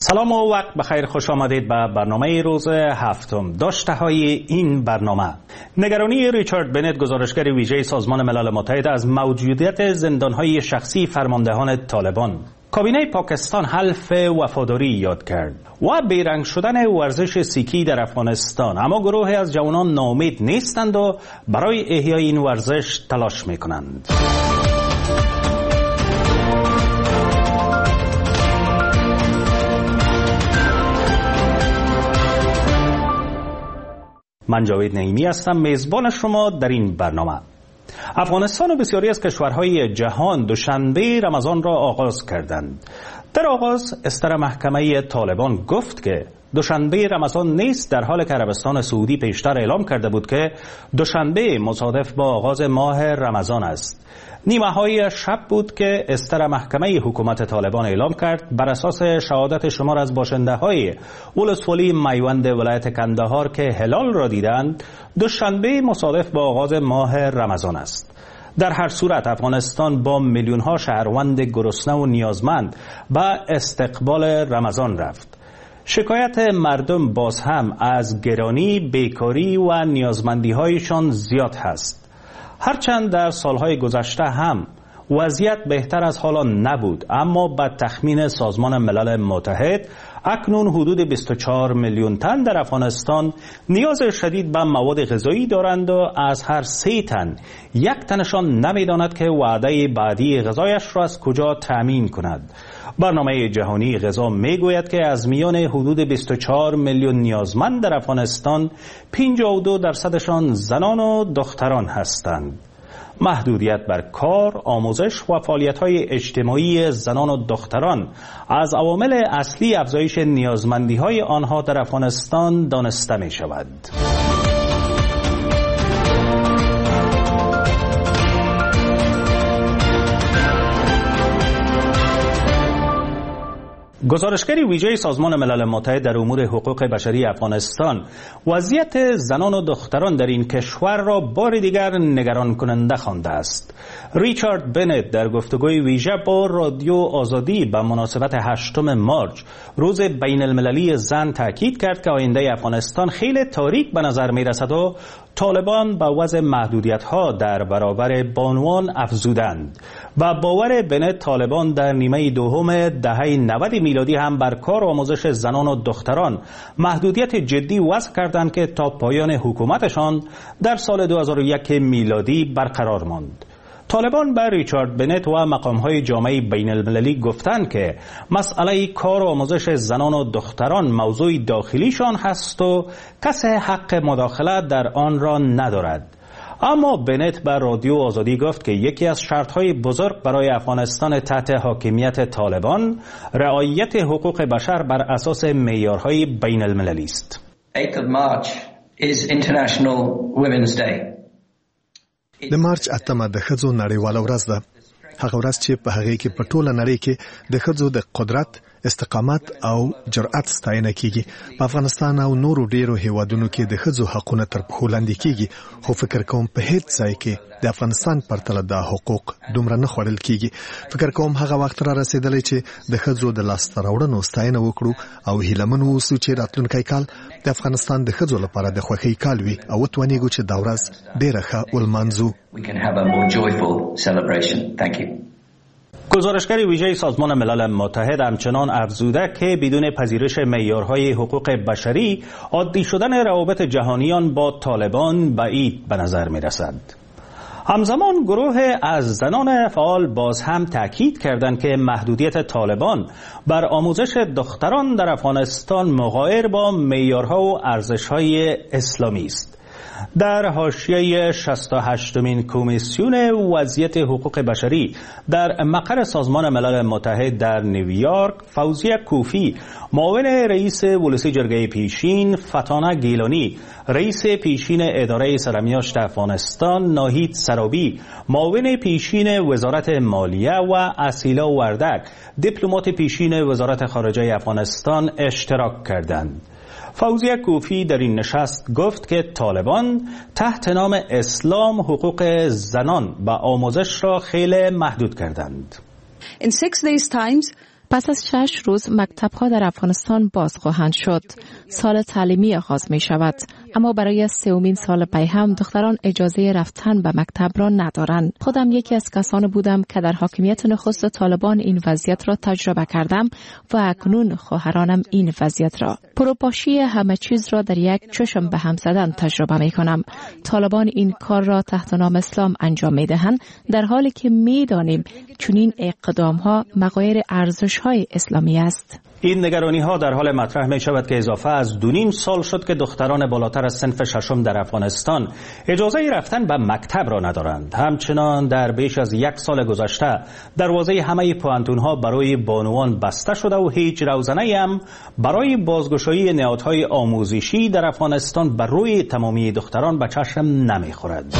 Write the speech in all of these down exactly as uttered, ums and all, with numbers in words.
سلام و وقت بخیر، خوش آمدید به برنامه روز هفتم. داشته های این برنامه: نگرانی ریچارد بنت، گزارشگر ویژه سازمان ملل متحد، از موجودیت زندانهای شخصی فرماندهان طالبان. کابینه پاکستان حلف وفاداری یاد کرد و بیرنگ شدن ورزش سیکی در افغانستان. اما گروهی از جوانان ناامید نیستند و برای احیای این ورزش تلاش میکنند. من جاوید نعیمی هستم، میزبان شما در این برنامه. افغانستان و بسیاری از کشورهای جهان دوشنبه رمضان را آغاز کردند. در آغاز استر محکمه طالبان گفت که دوشنبه رمضان نیست، در حال که عربستان سعودی پیشتر اعلام کرده بود که دوشنبه مصادف با آغاز ماه رمضان است. نیمه های شب بود که استر محکمه حکومت طالبان اعلام کرد بر اساس شهادت شمار از باشنده های ولسوالی میوند ولایت کندهار که هلال را دیدند، دوشنبه مصادف با آغاز ماه رمضان است. در هر صورت افغانستان با میلیون ها شهروند گرسنه و نیازمند به استقبال رمضان رفت. شکایت مردم باز هم از گرانی، بیکاری و نیازمندی هایشان زیاد هست. هرچند در سالهای گذشته هم وضعیت بهتر از حالا نبود، اما به تخمین سازمان ملل متحد اکنون حدود بیست و چهار میلیون تن در افغانستان نیاز شدید به مواد غذایی دارند و از هر سه تن یک تنشان نمیداند که وعده بعدی غذایش را از کجا تأمین کند. برنامه جهانی غذا میگوید که از میان حدود بیست و چهار میلیون نیازمند در افغانستان پنجاه و دو درصدشان زنان و دختران هستند. محدودیت بر کار، آموزش و فعالیت‌های اجتماعی زنان و دختران از عوامل اصلی افزایش نیازمندی‌های آنها در افغانستان دانسته می‌شود. گزارشگر ویژه سازمان ملل متحد در امور حقوق بشری افغانستان وضعیت زنان و دختران در این کشور را بار دیگر نگران کننده خوانده است. ریچارد بنت در گفتگوی ویژه با رادیو آزادی به مناسبت هشتم مارچ، روز بین المللی زن، تاکید کرد که آینده افغانستان خیلی تاریک به نظر می رسد و طالبان به وضع محدودیت ها در برابر بانوان افزودند. و باور بنت طالبان در نیمه دوم دهه نود میلادی هم بر کار و آموزش زنان و دختران محدودیت جدی وضع کردند که تا پایان حکومتشان در سال دو هزار و یک میلادی برقرار ماند. طالبان به ریچارد بنت و مقام‌های جامعه بین المللی گفتند که مسئله کار و آموزش زنان و دختران موضوع داخلیشان هست و کسی حق مداخله در آن را ندارد. اما بنت به رادیو آزادی گفت که یکی از شرط‌های بزرگ برای افغانستان تحت حاکمیت طالبان رعایت حقوق بشر بر اساس معیارهای بین المللی است. eighth of March is International Women's Day. د مارچ اتمه د ښځو نړیواله ورځ ده، هغه ورځ چې په هغې کې په ټوله نړۍ کې د ښځو د قدرت، استقامت او جرأت ستاینه کیږي. په افغانستان او نورو ډیرو هیوادونو کې د ښځو حقونه تر پښو لاندې کیږي، خو فکر کوم په هیڅ ځای کې د افغانستان پرتله دا حقوق دومره نه خوړل کیږي. فکر کوم هغه وخت را رسیدلی چې د ښځو د لاسته راوړنو ستاینه وکړو او هیله من واوسو چې راتلونکی کال د افغانستان د ښځو لپاره د خوښۍ کال وي او وتوانیږو چې دا ورځ ډیره ښه ولمانځو. We can have a more joyful celebration. Thank you. گزارشگر ویژه سازمان ملل متحد همچنان افزوده که بدون پذیرش معیارهای حقوق بشری عادی شدن روابط جهانیان با طالبان بعید به نظر می رسد. همزمان گروه از زنان فعال باز هم تاکید کردند که محدودیت طالبان بر آموزش دختران در افغانستان مغایر با معیارها و ارزش‌های اسلامی است. در حاشیه شصت و هشتمین کمیسیون وضعیت حقوق بشری در مقر سازمان ملل متحد در نیویورک، فوزیه کوفی، معاون رئیس ولسی جرگه پیشین، فتانه گیلانی، رئیس پیشین اداره سرمیاشت افغانستان، ناهید سرابی، معاون پیشین وزارت مالیه و اصیلا وردک، دیپلمات پیشین وزارت خارجه افغانستان اشتراک کردند. فوزیه کوفی در این نشست گفت که طالبان تحت نام اسلام حقوق زنان و آموزش را خیلی محدود کردند. In six days times, پس از شش روز مکتب‌ها در افغانستان باز خواهند شد. سال تعلیمی آغاز می شود. اما برای سومین سال پی هم دختران اجازه رفتن به مکتب را ندارند. خودم یکی از کسان بودم که در حاکمیت نخست طالبان این وضعیت را تجربه کردم و اکنون خواهرانم این وضعیت را. پروپاشی همه چیز را در یک چشم به هم زدن تجربه می کنم. طالبان این کار را تحت نام اسلام انجام می دهند، در حالی که می دانیم چنین اقدام ها مغایر ارزش های اسلامی است. این نگرانی ها در حال مطرح می شود که اضافه از دو نیم سال شد که دختران بالاتر از صنف ششم در افغانستان اجازه رفتن به مکتب را ندارند. همچنان در بیش از یک سال گذشته دروازه همه پوهنتون ها برای بانوان بسته شده و هیچ روزنه هم برای بازگشایی نهادهای آموزشی در افغانستان بر روی تمامی دختران به چشم نمی خورد.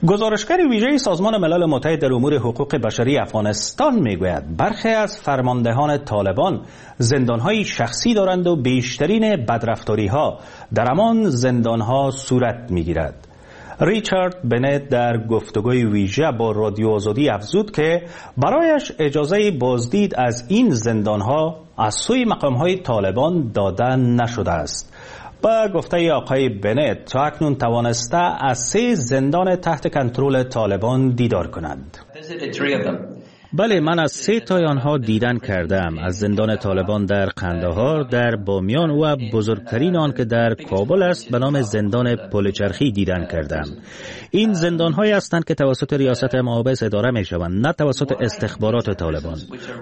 گزارشگر ویژه سازمان ملل متحد در امور حقوق بشری افغانستان میگوید برخی از فرماندهان طالبان زندان‌های شخصی دارند و بیشترین بدرفتاری‌ها در همان زندان‌ها صورت می‌گیرد. ریچارد بنت در گفتگوی ویژه با رادیو آزادی افزود که برایش اجازه بازدید از این زندان‌ها از سوی مقام‌های طالبان داده نشده است. با گفته آقای بنت تا اکنون توانسته از سه زندان تحت کنترل طالبان دیدار کند. بله، من از سه تای آنها دیدن کردم. از زندان طالبان در قندهار، در بامیان و بزرگترین آن که در کابل است به نام زندان پلچرخی دیدن کردم. این زندان هایی هستند که توسط ریاست محابس اداره می شوند، نه توسط استخبارات طالبان.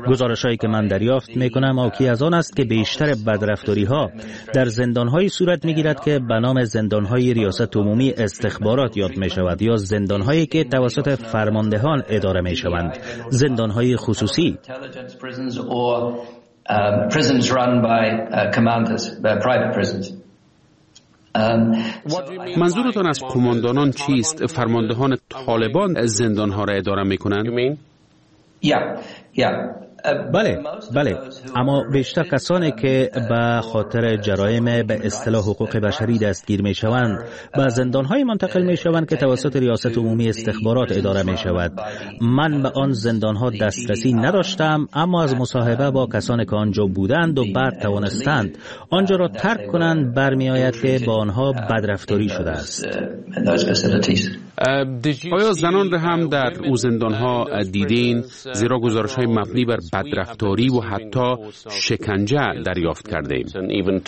گزارش هایی که من دریافت می کنم حاکی از آن است که بیشتر بدرفتاری ها در زندان های صورت می گیرد که به نام زندان های ریاست عمومی استخبارات یاد می شود یا زندان هایی که توسط فرماندهان اداره می شوند، زندان‌های خصوصی. منظورتان از قماندانان چیست؟ فرماندهان طالبان زندان‌ها را اداره می‌کنند؟ بله بله، اما بیشتر کسانی که به خاطر جرایم به اصطلاح حقوق بشری دستگیر می شوند به زندان‌های منتقل می شوند که توسط ریاست عمومی استخبارات اداره می شود. من به آن زندان‌ها دسترسی نداشتم، اما از مصاحبه با کسانی که آنجا بودند و بعد توانستند آنجا را ترک کنند برمی آید که با آنها بدرفتاری شده است. آیا زنان را هم در او زندان‌ها دیدین؟ زیرا گزارش‌های مبنی بر بدرفتاری و حتی شکنجه دریافت کرده ایم.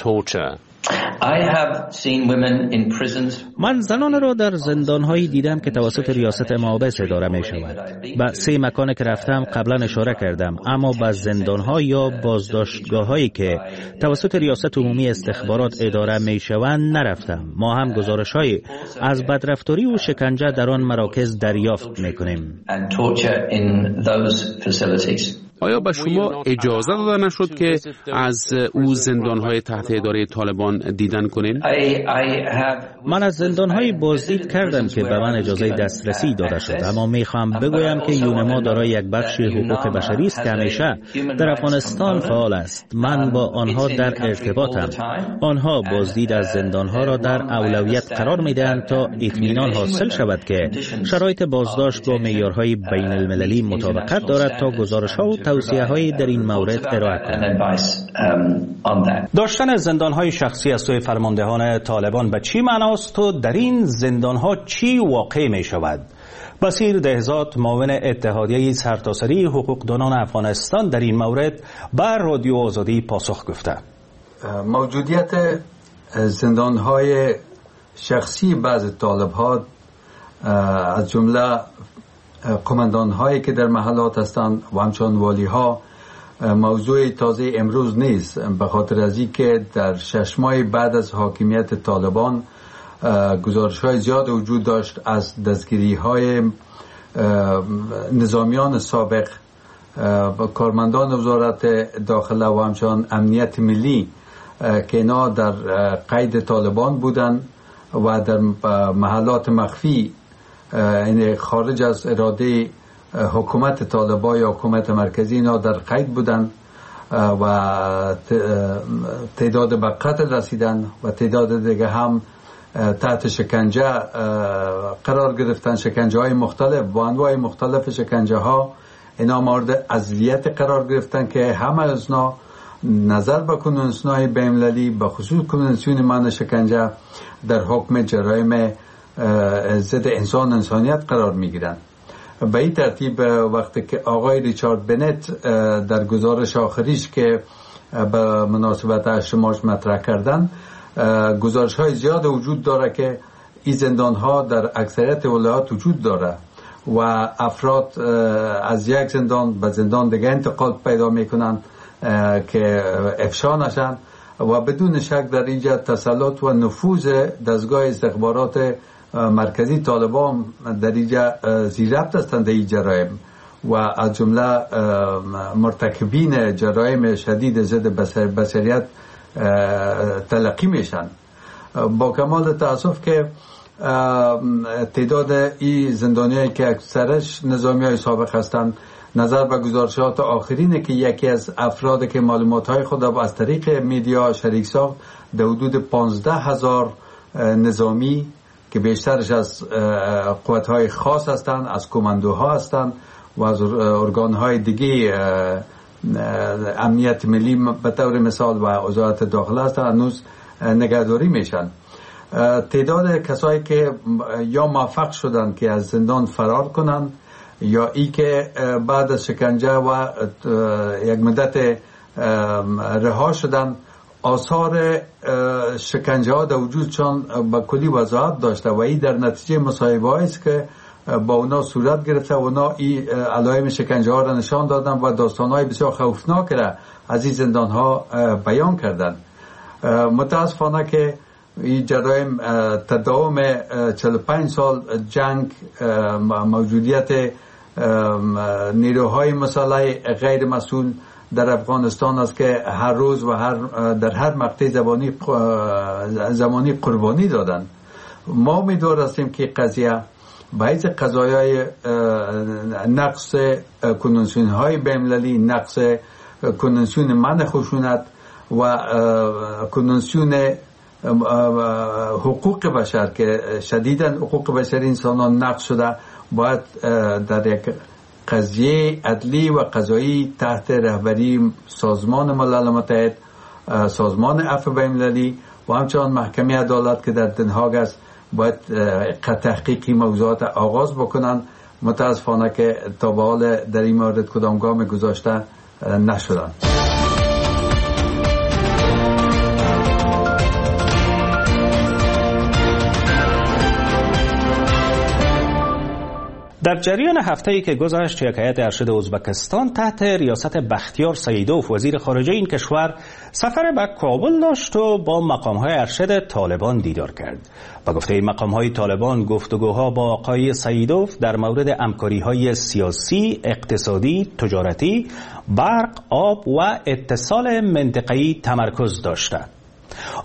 من زنان را در زندان‌هایی دیدم که توسط ریاست محابس اداره می شود. به سه مکان که رفتم قبلا اشاره کردم، اما به زندان‌ها یا بازداشتگاه‌هایی که توسط ریاست عمومی استخبارات اداره می شوند نرفتم. ما هم گزارش‌های از بدرفتاری و شکنجه در آن مراکز دریافت می کنیم. آیا به شما اجازه داده نشد که از او زندان‌های تحت اداره طالبان دیدن کنین؟ من از زندان‌های بازدید کردم که به من اجازه دسترسی داده شد، اما می‌خواهم بگویم که یونما دارای یک بخش حقوق بشری است که همیشه در افغانستان فعال است. من با آنها در ارتباطم. آنها بازدید از زندان‌ها را در اولویت قرار می‌دهند تا اطمینان حاصل شود که شرایط بازداشت با معیارهای بین المللی مطابقت دارد تا گزارش‌ها و توصیه‌های در این مورد ارائه کنند. داشتن زندان‌های شخصی از سوی فرماندهان طالبان به چی معناست و در این زندان‌ها چی واقع می شود؟ بصیر دهزاد، معاون اتحادیه سرتاسری حقوقدانان افغانستان، در این مورد بر رادیو آزادی پاسخ گفته. موجودیت زندان‌های شخصی بعض طالب‌ها از جمله قماندان هایی که در محلات هستند و همچنان والی ها موضوع تازه امروز نیست، به خاطر از اینکه در شش ماه بعد از حاکمیت طالبان گزارش های زیاد وجود داشت از دستگیری های نظامیان سابق، کارمندان وزارت داخله و همچنان امنیت ملی که اینا در قید طالبان بودند و در محلات مخفی، یعنی خارج از اراده حکومت طالبان یا حکومت مرکزی، اینا در قید بودن و تعداد به قتل رسیدن و تعداد دیگه هم تحت شکنجه قرار گرفتن، شکنجه های مختلف با انواع مختلف شکنجه ها اینا مورد اذیت قرار گرفتن که همه از اینا نظر به کنوانسیون های بین المللی، به خصوص کنوانسیون منع شکنجه، در حکم جرایم ضد انسان انسانیت قرار میگیرند. به این ترتیب وقتی که آقای ریچارد بنت در گزارش آخریش که به مناسبت هشت مارس مطرح کردن، گزارش های زیاد وجود داره که این زندان ها در اکثریت ولایات وجود داره و افراد از یک زندان به زندان دیگه انتقال پیدا میکنن که افشا نشن و بدون شک در اینجا تسلط و نفوذ دستگاه استخبارات مرکزی طالبان در اینجا زیربط هستند در این جرایم و از جمله مرتکبین جرایم شدید ضد بشریت تلقی میشن. با کمال تاسف که تعداد این زندانیایی که اکثرش نظامی های سابق هستند، نظر به گزارشات آخرینه که یکی از افراد که معلومات های خود از طریق میدیا شریک ساخت، در حدود پانزده هزار نظامی که بیشترش از قوت های خاص هستند، از کماندوها هستند و از ارگان های دیگه امنیت ملی به طور مثال و وزارت داخله هستند، هنوز نگهداری میشن. تعداد کسایی که یا موفق شدند که از زندان فرار کنند یا ای که بعد از شکنجه و یک مدت رها شدند، آثار شکنجه ها در وجودشان به کلی وضاحت داشته و این در نتیجه مصاحبه است که با اونا صورت گرفته و اونا این علائم شکنجه ها را نشان دادن و داستان های بسیار خوفناک را از این زندان ها بیان کردند. متاسفانه که این جرایم تداوم چهل و پنج سال جنگ، موجودیت نیروهای مسلح غیر مسئول در افغانستان است که هر روز و هر در هر مقطع زمانی زمانی قربانی دادن. ما امیدوار هستیم که قضیه باعث قضایای نقص کنوانسیون های بین المللی، نقص کنوانسیون منع خشونت و کنوانسیون حقوق بشر که شدیداً حقوق بشر انسانان نقض شده، باید در یک قضیه عدلی و قضایی تحت رهبری سازمان ملل متحد، سازمان عفو بین المللی و همچنان محکمه عدالت که در دنهاگ است، باید تحقیقی موضوعات آغاز بکنن. متاسفانه که تا به حال در این مورد کدام گام گذاشته نشدن. در جریان هفته‌ای که گذشت، یک هیئت ارشد ازبکستان تحت ریاست بختیار سعیدوف وزیر خارجه این کشور سفر به کابل داشت و با مقام‌های ارشد طالبان دیدار کرد. با گفته مقام‌های طالبان، گفتگوها با آقای سعیدوف در مورد همکاری‌های سیاسی، اقتصادی، تجارتی، برق، آب و اتصال منطقه‌ای تمرکز داشته.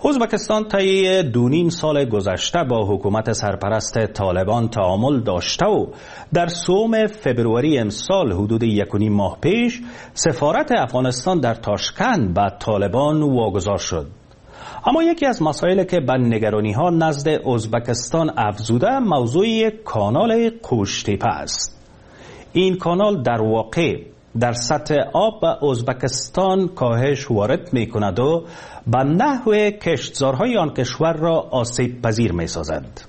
ازبکستان طی دو نیم سال گذشته با حکومت سرپرست طالبان تعامل داشته و در سوم فبروری امسال، حدود یک و نیم ماه پیش، سفارت افغانستان در تاشکند به طالبان واگذار شد. اما یکی از مسائل که به نگرانی ها نزد ازبکستان افزوده، موضوع کانال قوشتیپه است. این کانال در واقع در سطح آب به ازبکستان کاهش وارد می کند و به نحو کشتزارهای آن کشور را آسیب پذیر می سازد.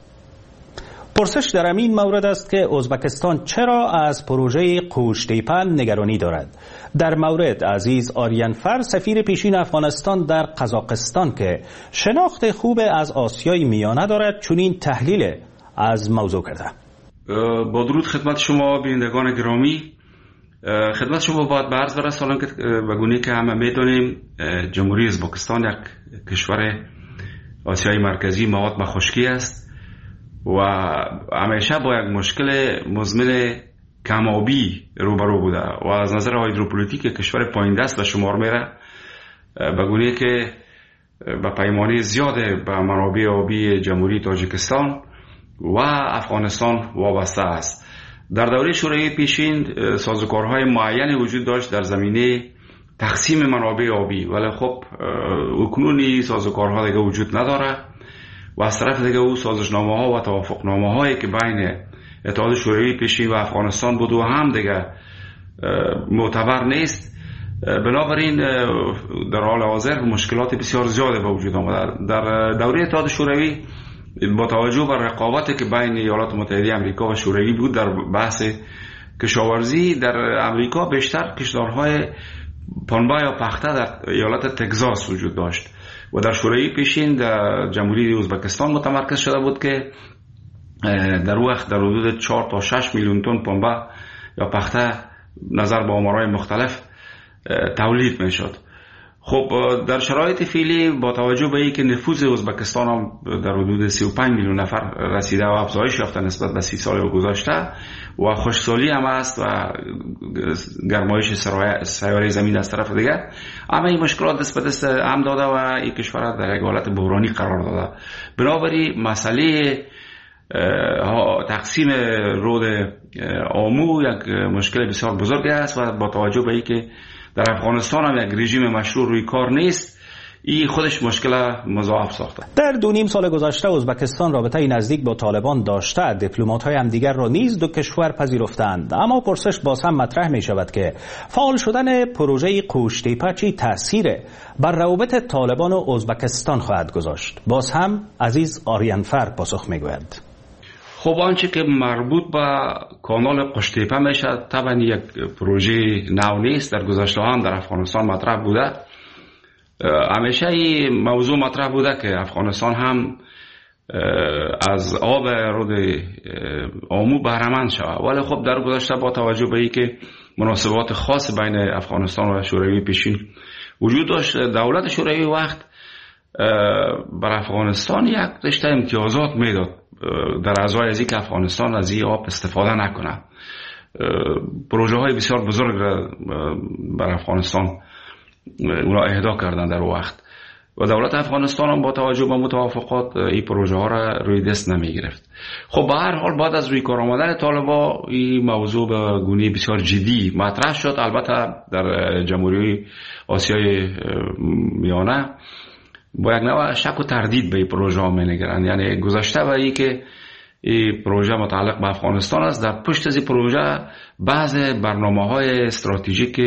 پرسش در این مورد است که ازبکستان چرا از پروژه قوشتیپه نگرانی دارد. در مورد عزیز آریانفر، سفیر پیشین افغانستان در قزاقستان که شناخت خوب از آسیای میانه دارد، چنین تحلیل از موضوع کرده. با درود خدمت شما بینندگان گرامی، خدمت شما باید به عرض برسانم که به گونه که همه میدانیم جمهوری ازبکستان یک کشور آسیای مرکزی مواد به خشکی است و همیشه با یک مشکل مزمن کمابی روبرو بوده و از نظر هایدروپولیتیک کشور پایین دست به شمار میره، به گونه که به پیمانه زیاد به منابع آبی جمهوری تاجیکستان و افغانستان وابسته است. در دوره شوروی پیشین سازوکارهای معین وجود داشت در زمینه تقسیم منابع آبی، ولی خب اکنون این سازوکارها دیگه وجود نداره و از طرف دیگه او سازشنامه ها و توافقنامه هایی که بین اتحاد شوروی پیشین و افغانستان بود و هم دیگه معتبر نیست. بنابراین در حال حاضر مشکلات بسیار زیاد به وجود آمده. در دوره اتحاد شوروی با توجه به رقابتی که بین ایالات متحده آمریکا و شوروی بود در بحث کشاورزی، در امریکا بیشتر کشتارهای پنبه یا پخته در ایالت تگزاس وجود داشت و در شوروی پیشین در جمهوری ازبکستان متمرکز شده بود که در وقت در حدود چهار تا شش میلیون تن پنبه یا پخته نظر به آمارهای مختلف تولید میشد. خب در شرایط فعلی با توجه به اینکه نفوذ ازبکستان هم در حدود سی و پنج میلیون نفر رسیده و افزایش یافته نسبت به سی سال گذشته و خشکسالی هم است و گرمایش سیاره زمین از طرف دیگر، اما این مشکلات دست به دست هم داده و این کشور در یک حالت بحرانی قرار داده. بنابراین مسئله تقسیم رود آمو یک مشکل بسیار بزرگ است و با توجه به اینکه در افغانستان هم یک رژیم مشروع روی کار نیست، این خودش مشکل مضاعف ساخته. در دو نیم سال گذشته ازبکستان رابطه نزدیک با طالبان داشته، دیپلمات‌های همدیگر را نیز دو کشور پذیرفتند. اما پرسش باز هم مطرح می شود که فعال شدن پروژه قوشتیپه چه تأثیر بر روابط طالبان و ازبکستان خواهد گذاشت؟ باز هم عزیز آریانفر پاسخ می گوید. خب آنچه که مربوط به کانال قوشتیپه میشه طبعا یک پروژه نو نیست، در گذشته هم در افغانستان مطرح بوده. همیشه این موضوع مطرح بوده که افغانستان هم از آب رود آمو بهره‌مند شود، ولی خب در گذشته با توجه به اینکه مناسبات خاص بین افغانستان و شوروی پیشین وجود داشت، دولت شوروی وقت بر افغانستان یک رشته امتیازات میداد در ازای از اینکه افغانستان از این آب استفاده نکنه. پروژه های بسیار بزرگ را بر افغانستان اونا اهدا کردن در وقت و دولت افغانستان هم با توجه به متوافقات این پروژه ها را روی دست نمی گرفت. خب به هر حال بعد از روی کار آمدن طالبا این موضوع به گونه بسیار جدی مطرح شد. البته در جمهوری آسیای میانه با یک نوع شک و تردید به این پروژه ها می نگرند، یعنی گذشته و ای که این پروژه متعلق به افغانستان است، در پشت از این پروژه بعض برنامه های استراتژیک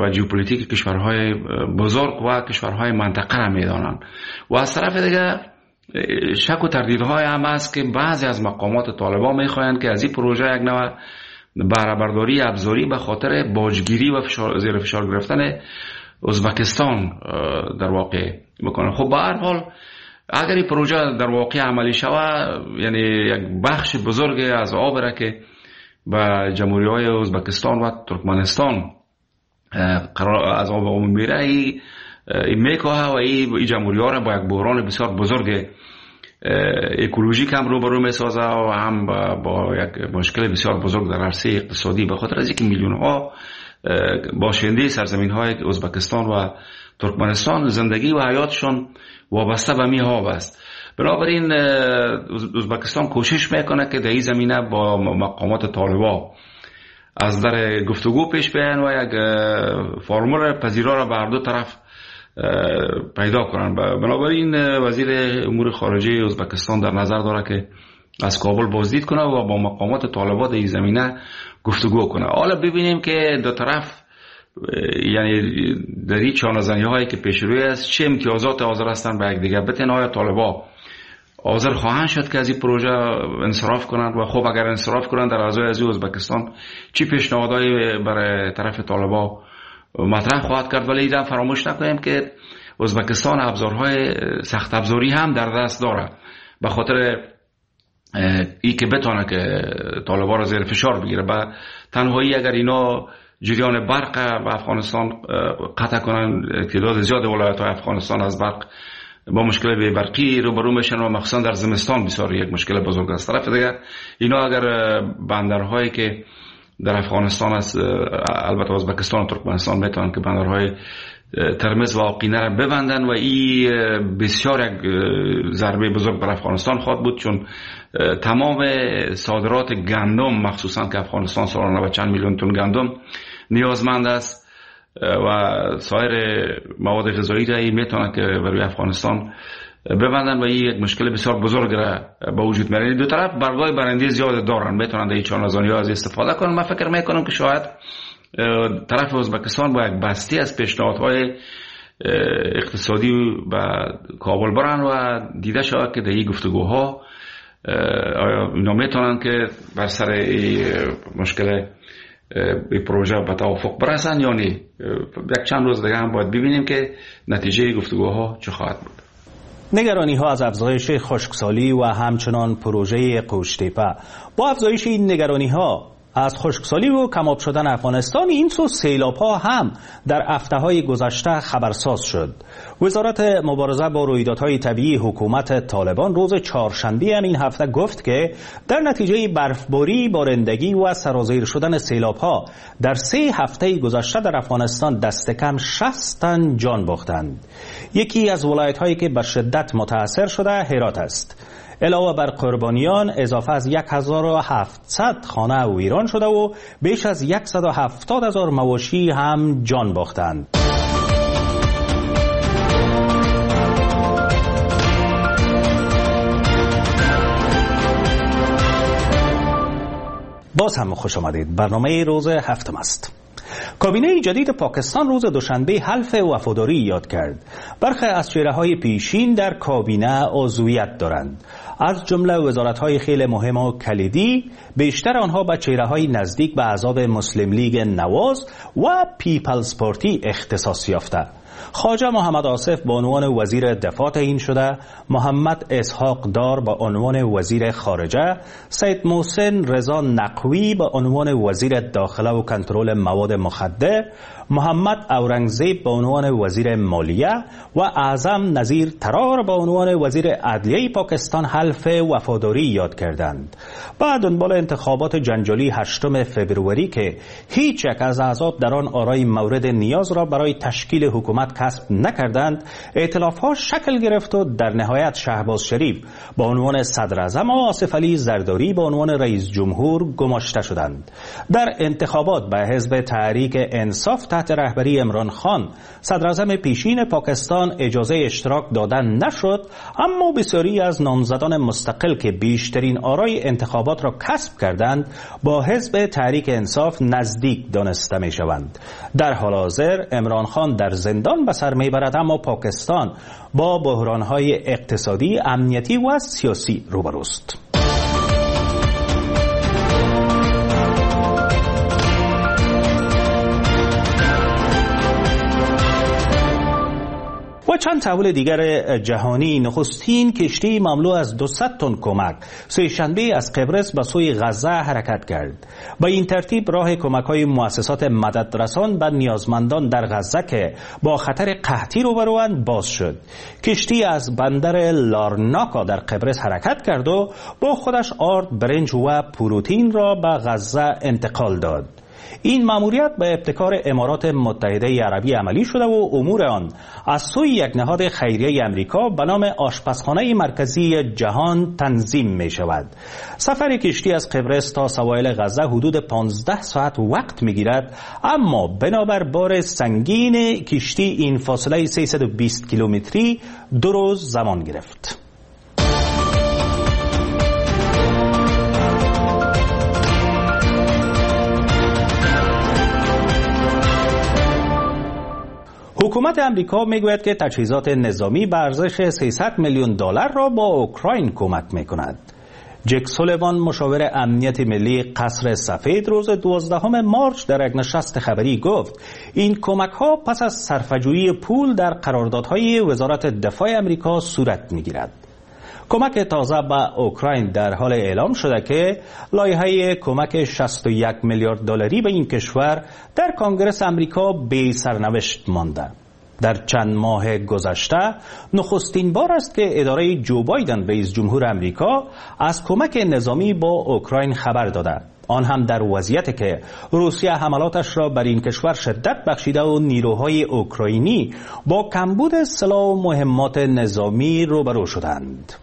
و ژئوپلیتیک کشورهای بزرگ و کشورهای منطقه را میدانند و از طرف دیگه شک و تردیدهای هم است که بعضی از مقامات طالبان میخواهند که از این پروژه یک نوع بهره برداری ابزاری به خاطر باجگیری و فشار، زیر فشار گرفتن ازبکستان در واقع بکنه. خب به هر حال اگر این پروژه در واقع عملی شود، یعنی یک بخش بزرگ از آب را که به جمهوری های ازبکستان و ترکمنستان قرار از آب عمومی میره ای میکاهه و این جمهوری ها را با یک بحران بسیار بزرگ اکولوژیک هم روبرو میسازه و هم با یک مشکل بسیار بزرگ در عرصه اقتصادی، به خاطر از اینکه میلیون ها باشنده سرزمین های ازبکستان و ترکمنستان زندگی و حیاتشان وابسته به می آب است. بنابراین ازبکستان کوشش میکنه که در این زمینه با مقامات طالبان از در گفتگو پیش بیان و یک فرمول پذیرا را به هر دو طرف پیدا کنند. بنابراین وزیر امور خارجه ازبکستان در نظر داره که از کابل بازدید کنه و با مقامات طالبان در این زمینه گفتگو کنه. حالا ببینیم که دو طرف یعنی در این چانه‌زنی هایی که پیش روی است چه امتیازات حاضر هستند به یکدیگر بتن. آیا طالبان حاضر خواهند شد که از این پروژه انصراف کنند و خب اگر انصراف کنند در ازای از ازبکستان چی پیشنهادهایی برای طرف طالبان مطرح خواهد کرد؟ ولی ایران فراموش نکنیم که ازبکستان ابزارهای سخت ابزاری هم در دست داره به خاطر ای که بتونه که طالبان را زیر فشار بگیره. با تنهایی اگر اینا جریان برق به افغانستان قطع کنن، تعداد زیاد ولایت های افغانستان از برق با مشکل بی برقی روبرو میشن و مخصوصا در زمستان بسیار یک مشکل بزرگ است. طرف دیگه اینا اگر بندرهایی که در افغانستان است، البته ازبکستان و ترکمنستان میتونن که بندرهای ترمز و آقینه را ببندن و این بسیار یک ضربه بزرگ بر افغانستان خواهد بود، چون تمام صادرات گندم مخصوصا که افغانستان سالانه به چند میلیون تن گندم نیازمند است و سایر مواد غذایی را میتونه که برای افغانستان ببندن و این یک مشکل بسیار بزرگ را به وجود میاره. دو طرف برگای برنده زیاد دارن، میتونن در این چانه‌زنی ها از استفاده کنن. من فکر میکنم که شاید طرف ازبکستان با یک بستی از پیشنهادهای اقتصادی به کابل برن و دیده شود که در این گفتگوها آیا اینا میتونن که بر سر این مشکل این پروژه به توافق برسن یا نه. یک چند روز دیگه هم باید ببینیم که نتیجه گفتگوها چه خواهد بود. نگرانی ها از افزایش خشکسالی و همچنان پروژه قوشتپه. با افزایش این نگرانی ها از خشکسالی و کماب شدن افغانستان، این سو سیلاب ها هم در هفته های گذشته خبرساز شد. وزارت مبارزه با رویدادهای طبیعی حکومت طالبان روز چهارشنبه هم این هفته گفت که در نتیجه برفباری، بارندگی و سرازیر شدن سیلاب ها در سه هفته گذشته در افغانستان دست کم شصت تن جان باختند. یکی از ولایت هایی که به شدت متاثر شده هرات است. علاوه بر قربانیان، اضافه از هزار و هفتصد خانه ویران شده و بیش از صد و هفتاد هزار مواشی هم جان باختند. باز هم خوش آمدید. برنامه روز هفتم است. کابینه جدید پاکستان روز دوشنبه حلف وفاداری یاد کرد. برخی از چهره‌های پیشین در کابینه عضویت دارند، از جمله وزارت‌های خیلی مهم و کلیدی. بیشتر آنها به چهره‌های نزدیک به احزاب مسلم لیگ نواز و پیپلز پارتی اختصاص یافته. خواجه محمد آصف به عنوان وزیر دفاع تعیین شده، محمد اسحاق دار به عنوان وزیر خارجه، سید محسن رضا نقوی به عنوان وزیر داخله و کنترل مواد مخدر، محمد اورنگزیب به عنوان وزیر مالیه و اعظم نظیر ترار به عنوان وزیر عدلیه پاکستان حلف وفاداری یاد کردند. بعد دنبال انتخابات جنجالی هشتم فبروری که هیچ یک از احزاب در آن آرای مورد نیاز را برای تشکیل حکومت کسب نکردند، ائتلاف‌ها شکل گرفت و در نهایت شهباز شریف به عنوان صدر اعظم و آصف علی زرداری به عنوان رئیس جمهور گماشته شدند. در انتخابات به حزب تحریک انصاف تحت رهبری عمران خان، صدر اعظم پیشین پاکستان، اجازه اشتراک دادن نشد، اما بسیاری از نامزدان مستقل که بیشترین آرای انتخابات را کسب کردند با حزب تحریک انصاف نزدیک دانسته می شوند. در حال حاضر عمران خان در زندان به سر میبرد، اما پاکستان با بحران‌های اقتصادی، امنیتی و سیاسی روبروست. و چند تحول دیگر جهانی. نخستین کشتی مملو از دویست تن کمک سه شنبه از قبرس به سوی غزه حرکت کرد. با این ترتیب راه کمک‌های مؤسسات مددرسان به نیازمندان در غزه که با خطر قحطی روبروند باز شد. کشتی از بندر لارناکا در قبرس حرکت کرد و با خودش آرد، برنج و پروتئین را به غزه انتقال داد. این ماموریت به ابتکار امارات متحده عربی عملی شده و امور آن از سوی یک نهاد خیریه امریکا به نام آشپزخانه مرکزی جهان تنظیم می شود. سفر کشتی از قبرس تا سواحل غزه حدود پانزده ساعت وقت می گیرد، اما بنابر بار سنگین کشتی این فاصله سیصد و بیست کیلومتری دو روز زمان گرفت. حکومت امریکا میگوید که تجهیزات نظامی به ارزش سیصد میلیون دلار را با اوکراین کمک میکند. جک سولیوان، مشاور امنیت ملی قصر سفید، روز دوازدهم مارچ در یک نشست خبری گفت این کمک ها پس از صرفه‌جویی پول در قراردادهای وزارت دفاع امریکا صورت میگیرد. کمک تازه به اوکراین در حال اعلام شده که لایحه کمک شصت و یک میلیارد دلاری به این کشور در کنگرس امریکا بی سرنوشت مانده. در چند ماه گذشته نخستین بار است که اداره جو بایدن رئیس جمهور امریکا از کمک نظامی با اوکراین خبر داده، آن هم در وضعیت که روسیه حملاتش را بر این کشور شدت بخشیده و نیروهای اوکراینی با کمبود سلاح و مهمات نظامی روبرو شدند.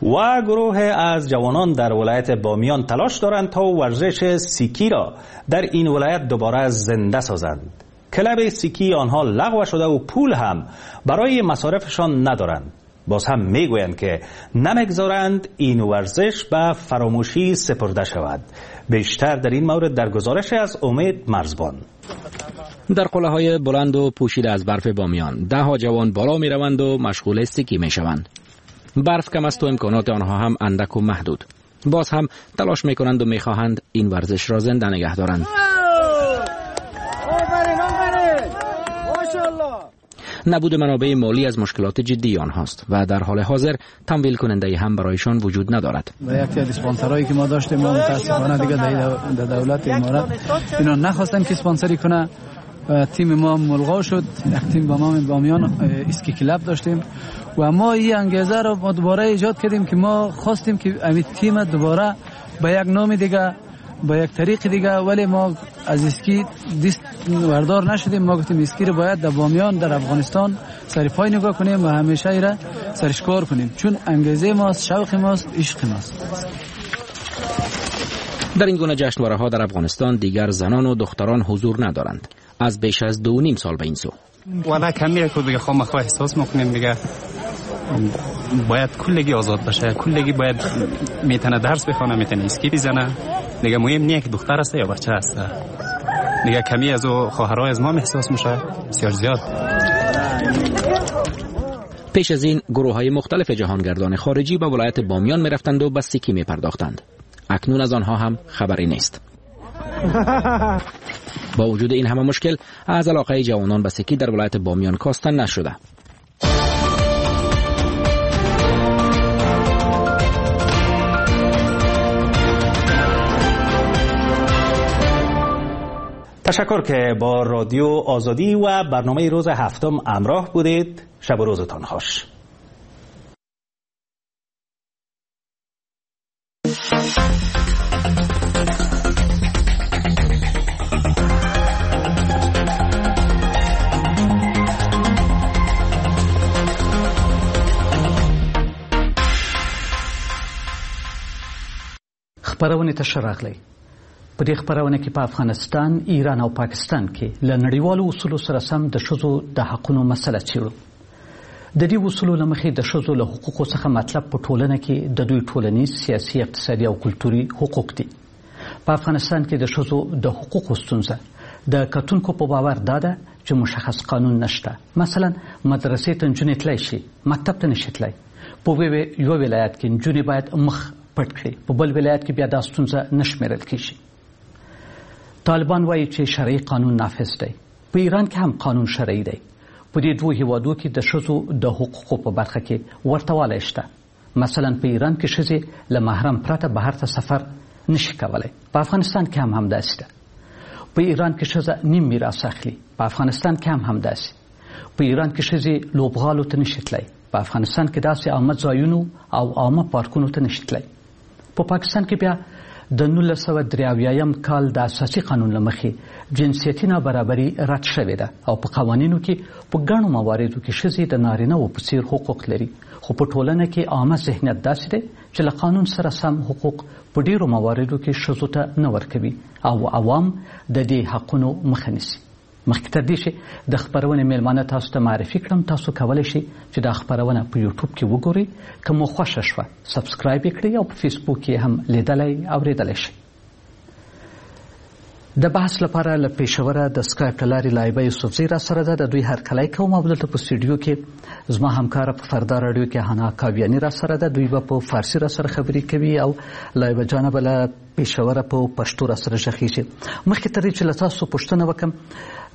و گروه از جوانان در ولایت بامیان تلاش دارند تا ورزش سیکی را در این ولایت دوباره زنده سازند. کلب سیکی آنها لغو شده و پول هم برای مصارفشان ندارند. باز هم میگویند که نمیگذارند این ورزش به فراموشی سپرده شود. بیشتر در این مورد در گزارش از امید مرزبان. در قله های بلند و پوشیده از برف بامیان ده ها جوان بالا می روند و مشغول سکی می شوند. برف کم است و امکانات آنها هم اندک و محدود. باز هم تلاش می کنند و می خواهند این ورزش را زنده نگه دارند. نبود منابع مالی از مشکلات جدی آنهاست و در حال حاضر تمویل کننده هم برایشان وجود ندارد. و یکی از اسپانسرایی که ما داشتیم ما متاسفانه دیگه در دولت امارات اینا نخواستن که اسپانسری کنه. تیم ما ملغا شد. یک تیم با نام بامیان اسکی کلاب داشتیم و ما این انگیزه رو ما دوباره ایجاد کردیم که ما خواستیم که این تیم دوباره با یک نام دیگه، با یک طریق دیگه، ولی ما از اسکی دست وردار نشدیم. ما گفتیم اسکی رو باید در بامیان در افغانستان سر پای نگاه کنیم و همیشه ایره سرش کار کنیم، چون انگیزه ماست، شوق ماست، عشق ماست. در این گونه جشنواره ها در افغانستان دیگر زنان و دختران حضور ندارند. از بیش از دو نیم سال به این سو والا کمیه که دیگه خامخواه احساس میکنیم دیگه باید کلگی آزاد باشه، کلگی باید میتونه درس بخونه، میتونه اسکی بزنه، دیگه مهم نیه که دختر است یا بچه است. دیگه کمی از او خواهرای از ما احساس میشه بسیار زیاد. پیش از این گروه های مختلف جهانگردان خارجی به ولایت بامیان میرفتند و به سکی میپرداختند. اکنون از آنها هم خبری نیست. با وجود این همه مشکل از علاقه جوانان به سکی در ولایت بامیان کاسته نشده. تشکر که با رادیو آزادی و برنامه روز هفتم همراه بودید. شب و روزتان خوش. خپرونې ته ښه راغلی. په دې خپرونه کې په افغانستان، ایران او پاکستان کې له نړیوالو اصولو سره سم د ښځو د حقونو مسله څېړو. د دې اصولو له مخې د ښځو له حقوقو څخه مطلب په ټولنه کې د دوی ټولنیز، سیاسي، اقتصادي او کلتوري حقوق دي. په افغانستان کې د ښځو د حقوقو ستونزه د کتونکو په باور دا ده چې مشخص قانون نشته. مثلا مدرسې ته نجونې تلای شي، مکتب ته نشي تلای. په یو ولایت کې نجونې باید مخ پټ کړي، په بل ولایت کې بیا دا ستونزه نه شمېرل کېږي. طالبان وایي چې شرعي قانون نافذ دی. په ایران کې هم قانون شرعي دی. په دې دوو هیوادو کې د ښځو د حقوقو په برخه کې ورته والی شته. مثلا په ایران کې ښځې له محرم پرته بهر ته سفر نشي کولی. په افغانستان کې هم همداسې ده. په ایران کې ښځه نیم میراث اخلي، په افغانستان کې هم همداسې. په ایران کې ښځې لوبغالو ته نشي تللی، په افغانستان کې داسې عامه ځایونو او عامه پارکونو ته نشي تللی. په پاکستان کې بیا د نولس سوه درې اویایم کال د اساسي قانون له مخې جنسیتي نابرابري رد شوې ده او په قوانینو کې په ګڼو مواردو کې ښځې د نارینه وو په څیر حقوق لري، خو په ټولنه کې عامه ذهنیت داسې دی چې له قانون سره سم حقوق په ډیرو مواردو کې ښځو ته نه ورکوي او عوام د دې حقونو مخه نیسي. مخکې تر دې چې د خپرونې میلمانه تاسو ته معرفي کړم، تاسو کولی شئ چې دا خپرونه په یوټیوب کې وګورئ. که مو خوښه شوه subscribe یې کړئ او په فیسبوک کې هم لیدلی اورېدلی شئ. د بحث لپاره له پېښوره د سکایپ له لارې لایبه یوسفزۍ را سره ده. د دوی هرکلی کوم او دلته په سټډیو کې زما همکاره په فردا راډیو کې حنا کاویاني را سره ده. دوی به په فارسي را سره خبرې کوي او لایبه جانه به له پېښوره په پښتو را سره غږېږي. مخکې تر دې چې له تاسو پوښتنه وکړم،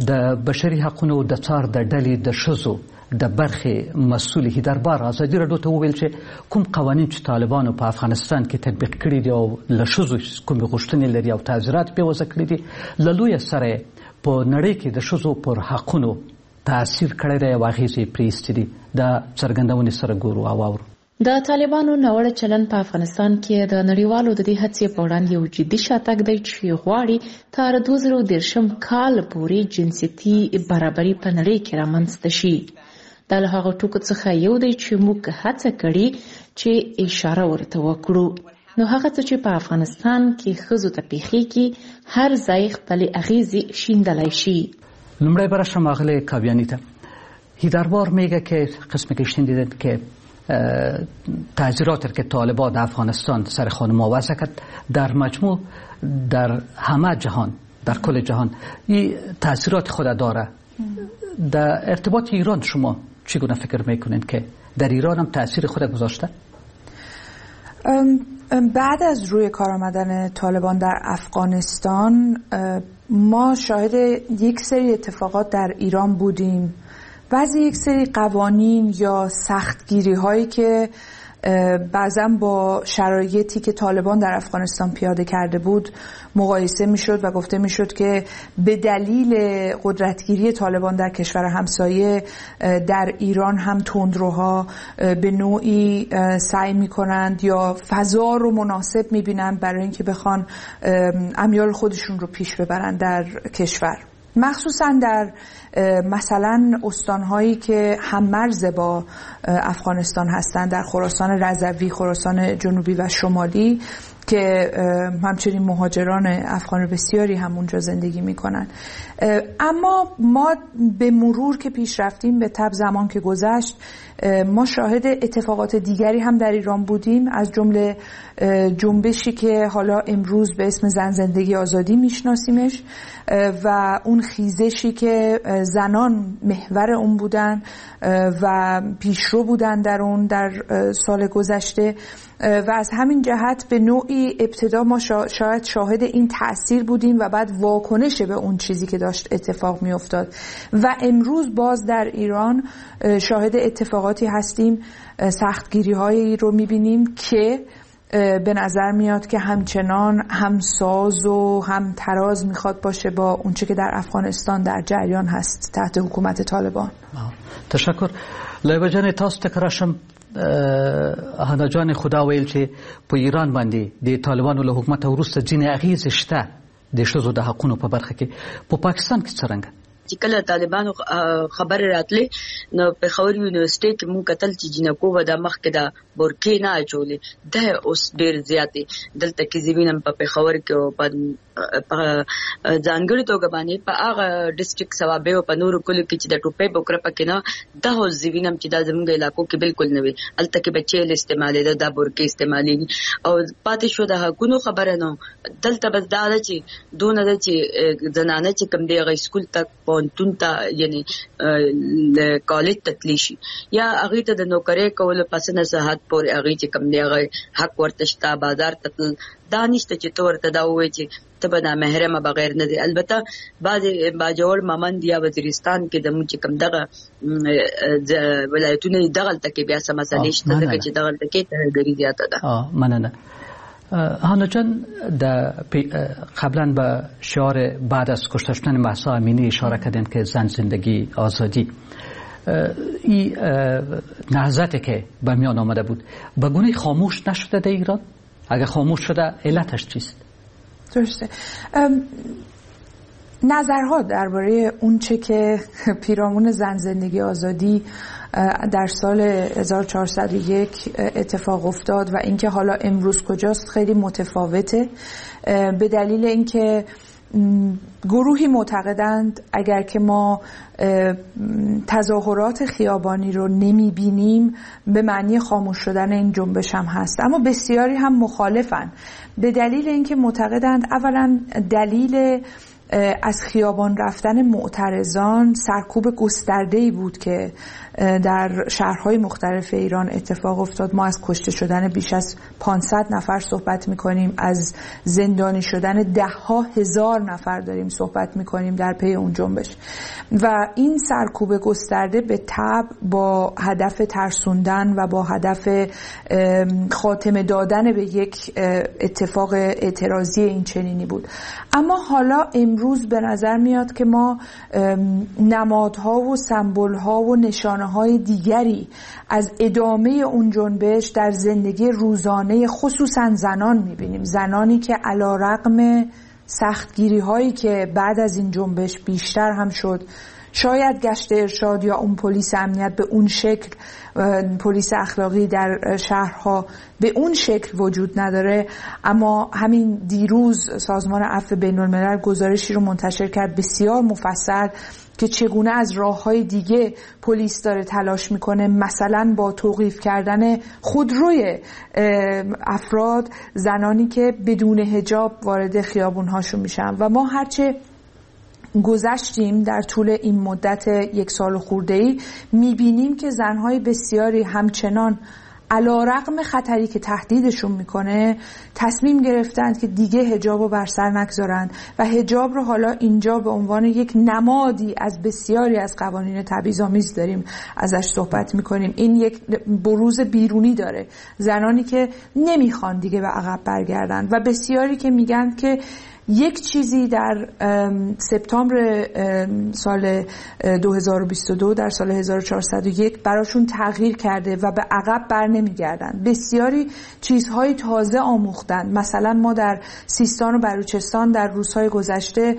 د بشري حقونو د څار د ډلې د ښځو د برخې مسؤل هیدربار ازادي راډیو ته وویل چې کوم قوانین چې طالبانو په افغانستان کې تطبیق کړي دي او له ښځو کومې غوښتنې لري او تعزیرات پرې وضع کړي دي، له لویه سره په نړۍ کې د ښځو پر حقونو تاثیر کړی دی او اغېزې یې پرې ایستې دي. دا څرګندونې سره ګورو او اورو. د طالبانو ناوړه چلند په افغانستان کې د نړیوالو د دې هڅې په وړاندې یو جدي شاتګ دی چې غواړي تر دوه زره دېرشم کال پورې جنسیتي برابري په نړۍ کې رامنځته شي. دا له هغو ټکو څخه یو دی چې موږ هڅه کړې چې اشاره ورته وکړو. نو هغه څه چې په افغانستان کې ښځو ته پیښیږي هر ځای خپلې اغیزې شیندلای شي. لومړی به راشم آغلې کاویانی ته. هیدروار میگه که قسمی که شنیدید که تعزیرات که طالبان در افغانستان سر خانم‌ها وضع کرد در مجموع در همه جهان، در کل جهان این تاثیرات خود داره. در ارتباط ایران شما چگونه فکر میکنید که در ایران هم تاثیر خود گذاشته؟ بعد از روی کار آمدن طالبان در افغانستان ما شاهد یک سری اتفاقات در ایران بودیم. بعضی یک سری قوانین یا سختگیری هایی که بعضا با شرایطی که طالبان در افغانستان پیاده کرده بود مقایسه میشد و گفته میشد که به دلیل قدرتگیری طالبان در کشور همسایه در ایران هم تندروها به نوعی سعی میکنند یا فضا رو مناسب میبینند برای اینکه بخوان امیال خودشون رو پیش ببرند در کشور، مخصوصا در مثلا استانهایی که هم‌مرز با افغانستان هستند، در خراسان رضوی، خراسان جنوبی و شمالی که همچنین مهاجران افغان بسیاری هم اونجا زندگی میکنن. اما ما به مرور که پیش رفتیم، به تبع زمان که گذشت، ما شاهد اتفاقات دیگری هم در ایران بودیم، از جمله جنبشی که حالا امروز به اسم زن زندگی آزادی میشناسیمش و اون خیزشی که زنان محور اون بودن و پیشرو بودن در اون در سال گذشته و از همین جهت به نوعی ابتدا ما شاید شاهد این تأثیر بودیم و بعد واکنش به اون چیزی که داشت اتفاق می افتاد و امروز باز در ایران شاهد اتفاقاتی هستیم، سختگیری هایی رو می بینیم که به نظر میاد که همچنان هم ساز و هم تراز میخواد باشه با اونچه که در افغانستان در جریان هست تحت حکومت طالبان. تشکر. لایبه جان تاسو ته راشم. هانا جان خدا ویل چې په ایران باندې د طالبانو له حکومت وروسته ځینې اغیزې شته د ښځو د حقونو په برخه کې، په پاکستان کې څرنګه؟ چې کله طالبانو خبر راتلې نو پېښور یونیورسيټي کې مونږ کتل چې جینکو به د مخکې د برکې نه اچولې، دا اوس ډېر زیاتې دلته کې زه وینم په پېښور کې او په ځانګړي توګه باندې په هغه ډیسټریکټ صوابۍ او په نورو کلیو کې چې د ټوپۍ بوکره پکې نه، دا اوس زه وینم چې دا زمونږ علاقو کې بالکل نه وي. هلته کې به چیل استعمالېده، دا برکې استعمالېږي. او پاتې شو د حقونو خبره، نو دلته بس دا ده چې دونه ده چې زنانه چې کوم دی هغه سکول ته، پوهنتون ته، یعنی کالج ته تللی شي یا هغې ته د نوکرۍ کولو په څه نه څه حد پورې هغې چې کوم دی هغه حق ورته شته. بازار ته تلل دا نشته چې ته ورته دا ووایې چې ته به نامحرمه بغیر نه دی. البته بعضې باجوړ، ممند یا وزیرستان کې زموږ چې کوم دغه ولایتونه دي دغلته کې بیا څه مسلې شته، ځکه چې دغلته کې ترهګري زیاته ده. مننه. هانا جان، قبلا به شعار بعد از کشته شدن مهسا امینی اشاره کردین که زن زندگی آزادی، این نهضتی که به میان آمده بود به گونه خاموش نشده در ایران؟ اگر خاموش شده علتش چیست؟ درسته. نظرها درباره اون چه که پیرامون زن زندگی آزادی در سال هزار و چهارصد و یک اتفاق افتاد و اینکه حالا امروز کجاست خیلی متفاوته، به دلیل اینکه گروهی معتقدند اگر که ما تظاهرات خیابانی رو نمیبینیم به معنی خاموش شدن این جنبش هم هست، اما بسیاری هم مخالفن به دلیل اینکه معتقدند اولا دلیل از خیابان رفتن معترضان سرکوب گسترده‌ای بود که در شهرهای مختلف ایران اتفاق افتاد. ما از کشته شدن بیش از پانصد نفر صحبت می‌کنیم، از زندانی شدن ده ها هزار نفر داریم صحبت می‌کنیم در پی اون جنبش و این سرکوب گسترده به تبع با هدف ترسوندن و با هدف خاتمه دادن به یک اتفاق اعتراضی این چنینی بود. اما حالا امروز به نظر میاد که ما نمادها و سمبولها و نشانه‌های دیگری از ادامه اون جنبش در زندگی روزانه خصوصا زنان میبینیم، زنانی که علیرغم سختگیری‌هایی که بعد از این جنبش بیشتر هم شد، شاید گشت ارشاد یا اون پلیس امنیت به اون شکل، پلیس اخلاقی در شهرها به اون شکل وجود نداره، اما همین دیروز سازمان عفو بین الملل گزارشی رو منتشر کرد بسیار مفصل که چگونه از راه‌های دیگه پلیس داره تلاش میکنه، مثلا با توقیف کردن خودروی افراد، زنانی که بدون حجاب وارد خیابون‌هاشون میشن. و ما هرچه گذشتیم در طول این مدت یک سال خورده‌ای میبینیم که زنهای بسیاری همچنان علی‌رغم خطری که تهدیدشون میکنه تصمیم گرفتند که دیگه حجاب رو بر سر نگذارند و حجاب رو حالا اینجا به عنوان یک نمادی از بسیاری از قوانین تبعیض‌آمیز داریم ازش صحبت میکنیم. این یک بروز بیرونی داره، زنانی که نمیخوان دیگه به عقب برگردن و بسیاری که میگن که یک چیزی در سپتامبر سال دو هزار و بیست و دو، در سال هزار و چهارصد و یک براشون تغییر کرده و به عقب بر نمیگردن. بسیاری چیزهای تازه آموختن. مثلا ما در سیستان و بلوچستان در روزهای گذشته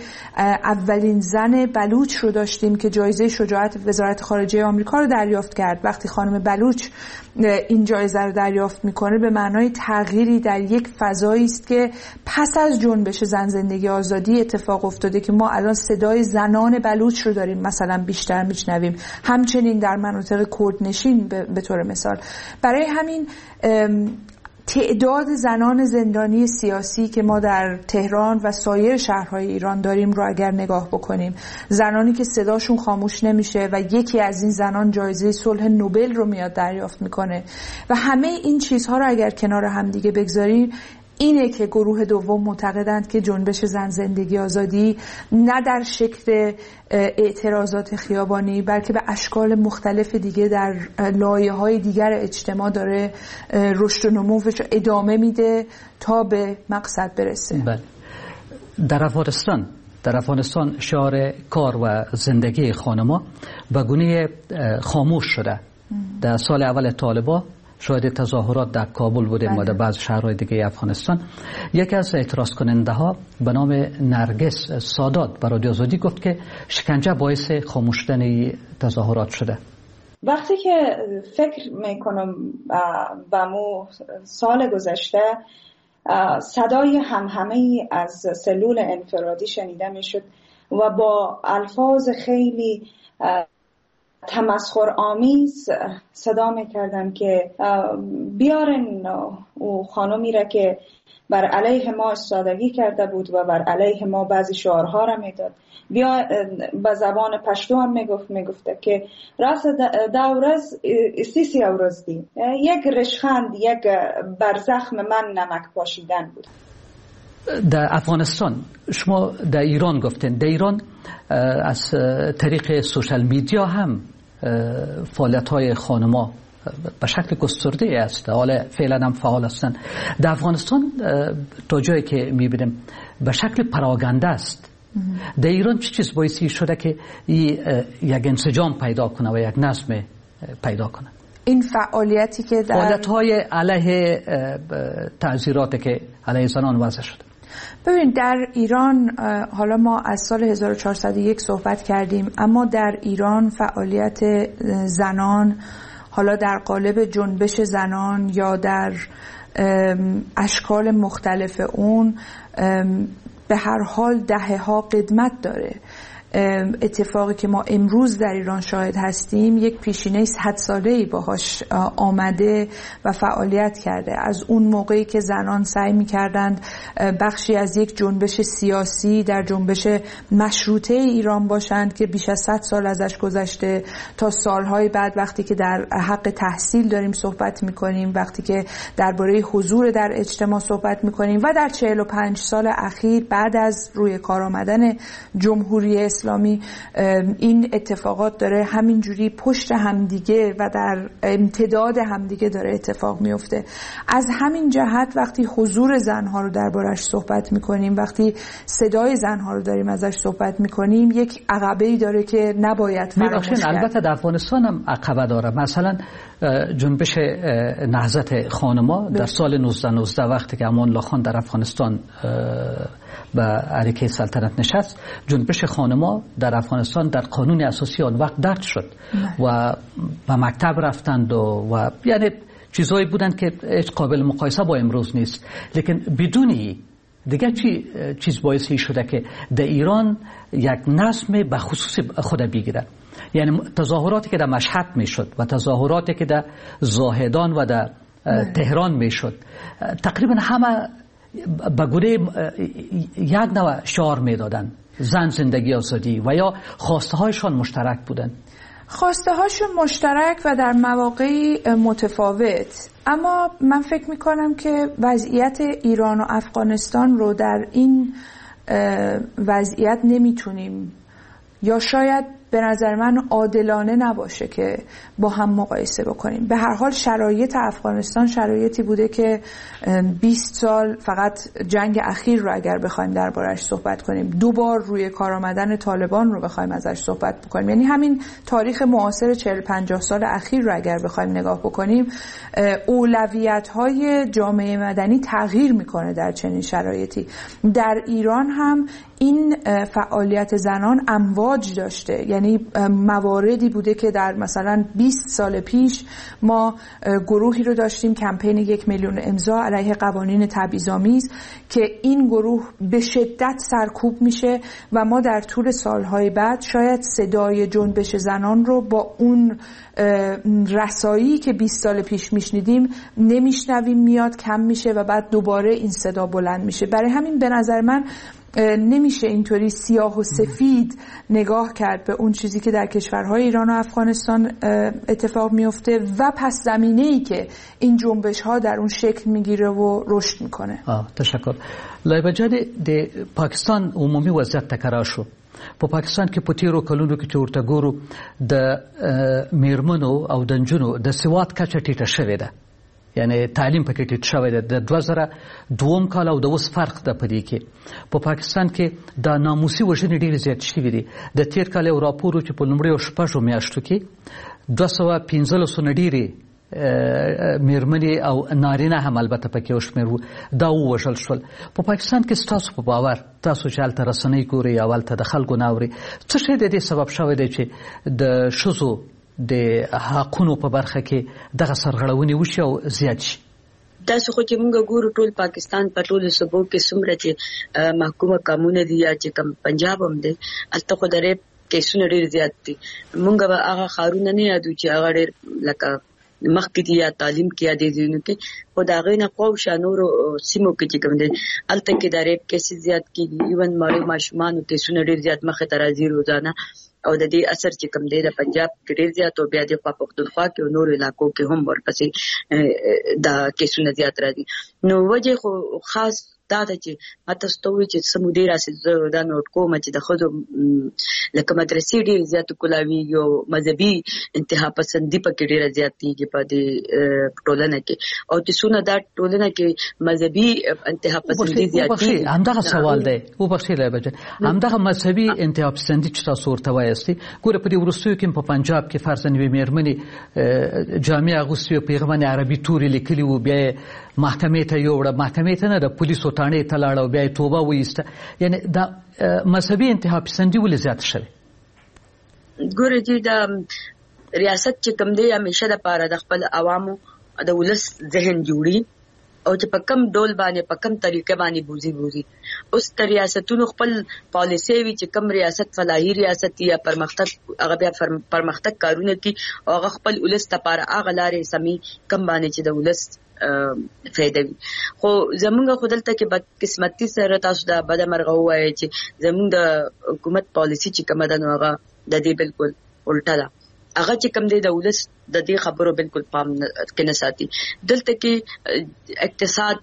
اولین زن بلوچ رو داشتیم که جایزه شجاعت وزارت خارجه آمریکا رو دریافت کرد. وقتی خانم بلوچ این جایزه رو دریافت میکنه به معنای تغییری در یک فضایی است که پس از جنبش زن زندگی آزادی اتفاق افتاده که ما الان صدای زنان بلوچ رو داریم مثلا بیشتر میشنویم، همچنین در مناطق کردنشین به طور مثال. برای همین تعداد زنان زندانی سیاسی که ما در تهران و سایر شهرهای ایران داریم رو اگر نگاه بکنیم، زنانی که صداشون خاموش نمیشه و یکی از این زنان جایزه صلح نوبل رو میاد دریافت میکنه و همه این چیزها رو اگر کنار هم دیگه بگذاریم، اینه که گروه دوم معتقدند که جنبش زن زندگی آزادی نه در شکل اعتراضات خیابانی بلکه به اشکال مختلف دیگه در لایه‌های دیگر اجتماع داره رشد و نموش ادامه میده تا به مقصد برسه. بله. در افغانستان در افغانستان شعار کار و زندگی خانم‌ها به گونه خاموش شده. در سال اول طالبان شاهد تظاهرات در کابل بودیم و در بعض شهرهای دیگه افغانستان. یکی از اعتراض کننده ها به نام نرگس سادات برای رادیو آزادی گفت که شکنجه باعث خاموش شدن تظاهرات شده. وقتی که فکر میکنم به مو سال گذشته، صدای همهمه از سلول انفرادی شنیده میشد و با الفاظ خیلی تمسخر آمیز صدا میکردن که بیارن او خانمی را که بر علیه ما استادگی کرده بود و بر علیه ما بعضی شعارها را میداد. بیا به زبان پشتو هم میگفت میگفته که راست دورز سیسی اورز دی، یک رشخند، یک بر زخم من نمک پاشیدن بود. در افغانستان شما در ایران گفتین، در ایران از طریق سوشال میدیا هم فعالیت های خانما به شکل گسترده است، حالا فعلا هم فعال هستند. در افغانستان تا جایی که میبینیم به شکل پراگنده است. در ایران چه چیز باعث شده که یک انسجام پیدا کنه و یک نظم پیدا کنه؟ این فعالیتی که در فعالیت های علیه تعزیرات که علیه زنان وضع شده. ببین در ایران حالا ما از سال هزار و چهارصد و یک صحبت کردیم، اما در ایران فعالیت زنان حالا در قالب جنبش زنان یا در اشکال مختلف اون به هر حال دهه‌ها قدمت داره. اتفاقی که ما امروز در ایران شاهد هستیم یک پیشینه صد ساله‌ای باهاش آمده و فعالیت کرده. از اون موقعی که زنان سعی می‌کردند بخشی از یک جنبش سیاسی در جنبش مشروطه ایران باشند که بیش از صد سال ازش گذشته، تا سالهای بعد وقتی که در حق تحصیل داریم صحبت می‌کنیم، وقتی که درباره حضور در اجتماع صحبت می‌کنیم و در چهل و پنج سال اخیر بعد از روی کار آمدن جمهوری اسلامی این اتفاقات داره همینجوری پشت همدیگه و در امتداد همدیگه داره اتفاق میفته. از همین جهت وقتی حضور زنها رو دربارش صحبت میکنیم، وقتی صدای زنها رو داریم ازش صحبت میکنیم، یک عقبه‌ای داره که نباید فراموش کرد. البته در افغانستان هم عقبه داره. مثلا جنبش نهضت خانما در سال نوزده نوزده وقتی که امان الله خان در افغانستان به عریکه سلطنت نشست، جنبش خانما ما در افغانستان در قانون اساسی آن وقت درج شد و به مکتب رفتند و, و یعنی چیزهایی بودند که هیچ قابل مقایسه با امروز نیست. لیکن بدون دیگه چی چیز باعث شده که در ایران یک نظم به خصوص خود بگیره؟ یعنی تظاهراتی که در مشهد میشد و تظاهراتی که در زاهدان و در تهران میشد، تقریبا همه به گونه یک نوع شعار میدادن، زن زندگی آزادی، و یا خواسته هایشان مشترک بودن. خواسته هاشون مشترک و در مواقعی متفاوت. اما من فکر میکنم که وضعیت ایران و افغانستان رو در این وضعیت نمیتونیم، یا شاید به نظر من عادلانه نباشه که با هم مقایسه بکنیم. به هر حال شرایط افغانستان شرایطی بوده که بیست سال فقط جنگ اخیر رو اگر بخوایم دربارش صحبت کنیم، دو بار روی کار آمدن طالبان رو بخوایم ازش صحبت بکنیم، یعنی همین تاریخ معاصر چهل پنجاه سال اخیر رو اگر بخوایم نگاه بکنیم، اولویت‌های جامعه مدنی تغییر میکنه در چنین شرایطی. در ایران هم این فعالیت زنان امواج داشته، یعنی مواردی بوده که در مثلا بیست سال پیش ما گروهی رو داشتیم، کمپین یک میلیون امضا علیه قوانین تبعیض‌آمیز، که این گروه به شدت سرکوب میشه و ما در طول سالهای بعد شاید صدای جنبش زنان رو با اون رسایی که بیست سال پیش میشنیدیم نمیشنویم، میاد کم میشه و بعد دوباره این صدا بلند میشه. برای همین به نظر من نمیشه اینطوری سیاه و سفید نگاه کرد به اون چیزی که در کشورهای ایران و افغانستان اتفاق میفته و پس زمینه‌ای که این جنبش‌ها در اون شکل میگیره و رشد میکنه. آه، تشکر. لایبه جان، د پاکستان عمومي وضعیت تکرار شو. په پاکستان کې په تیرو کلونو کې چې ورته ګورو د میرمنو او د نجونو د سواد کچه ټیټه شوې ده، یعنی تعلیم پکې ټیټ شوی دی. د دوه زره دوم کال او د اوس فرق ده په دې کې. په پاکستان کې د ناموسي وژنې ډېرې زیاتې شوې دي. د تیر کال یو راپور و چې په لومړیو شپږو میاشتو کې دوه سوه پنځلسو نه ډېرې میرمنې او نارینه هم البته پکې یو شمېر وو، دا ووژل شول. په پاکستان کې ستاسو په باور، تاسو چې هلته رسنۍ ګورئ او هلته د خلکو نه اورئ، څه شی د دې سبب شوی دی چې د ښځو د حقونو په برخه کې دغه سرغړونې وشي او زیات شي؟ داسې خو چې موږ ګورو ټول پاکستان په ټولو صوبو کې څومره چې محکومه قامونه دي یا چې کوم پنجاب هم دی، هلته خو د ریپ کیسونه ډېر زیات دي. موږ به هغه ښارونه نه یادو چې هغه ډېر لکه مخکې دي یا تعلیم کې یا دې ځایونو کې، خو د هغې نه خواوشا نورو سیمو کې چې کوم دی هلته کې د ریپ کیسې زیات کېږي. ایون مړو ماشومانو کیسونه ډېر زیات مخې ته راځي روزانه، او د دې اثر چې کوم دی د پنجاب کې ډېر زیات او بیا د خوا پښتونخوا کې او نورو علاقو کې هم ورپسې دا کیسونه زیات راځي. نو وجه خو خاص دا ده چې ما تاسو ته وویل چې څه مودې راسې زه دا نوټ کوم چې د ښځو لکه مدرسې ډېرې زیاتې کولاویږي او مذهبي انتها پسندي پکې ډېره زیاتېږي په دې ټولنه کې، او چې څونه دا ټولنه کې مذهبي انتها پسندي زیاتېږي. همدغه سوال دی، وبخښئ لایبه جان، همدغه مذهبي انتها پسندي چې تاسو ورته وایاستئ، ګوره په دې وروستیو کې په پنجاب کې فرضاً یوې مېرمنې جامې اغوستې وې، په هغه باندې عربي توري لیکلي وو، بیا یې محکمې ته یووړه، محکمې ته نه د پولیسو تاڼې ته لاړه او بیا یې توبه وایسته. یعنی دا مذهبي انتها پسندي ولې زیاته شوې؟ ګوره چې دا ریاست چې کوم دی همیشه دپاره د خپل عوامو د ولس ذهن جوړي او چې په کم ډول باندې په کم طریقه باندې بوزي بوزي. اوس د ریاستونو خپل پالیسي وي چې کم ریاست فلاحي ریاست یا پرمختګ، هغه بیا پرمختګ کارونه کوي او هغه خپل ولس دپاره هغه لارې سمي کم باندې چې د ولس فایده وي. خو زمونږ خو دلته کې بدقسمتي سره تاسو دا بده مرغه ووایئ چې زمونږ د حکومت پالیسي چې کومه ده نو هغه د دې بالکل الټه ده. هغه چې کوم دی د ولس د دې خبرو بالکل پام کې نه ساتي. دلته کې اقتصاد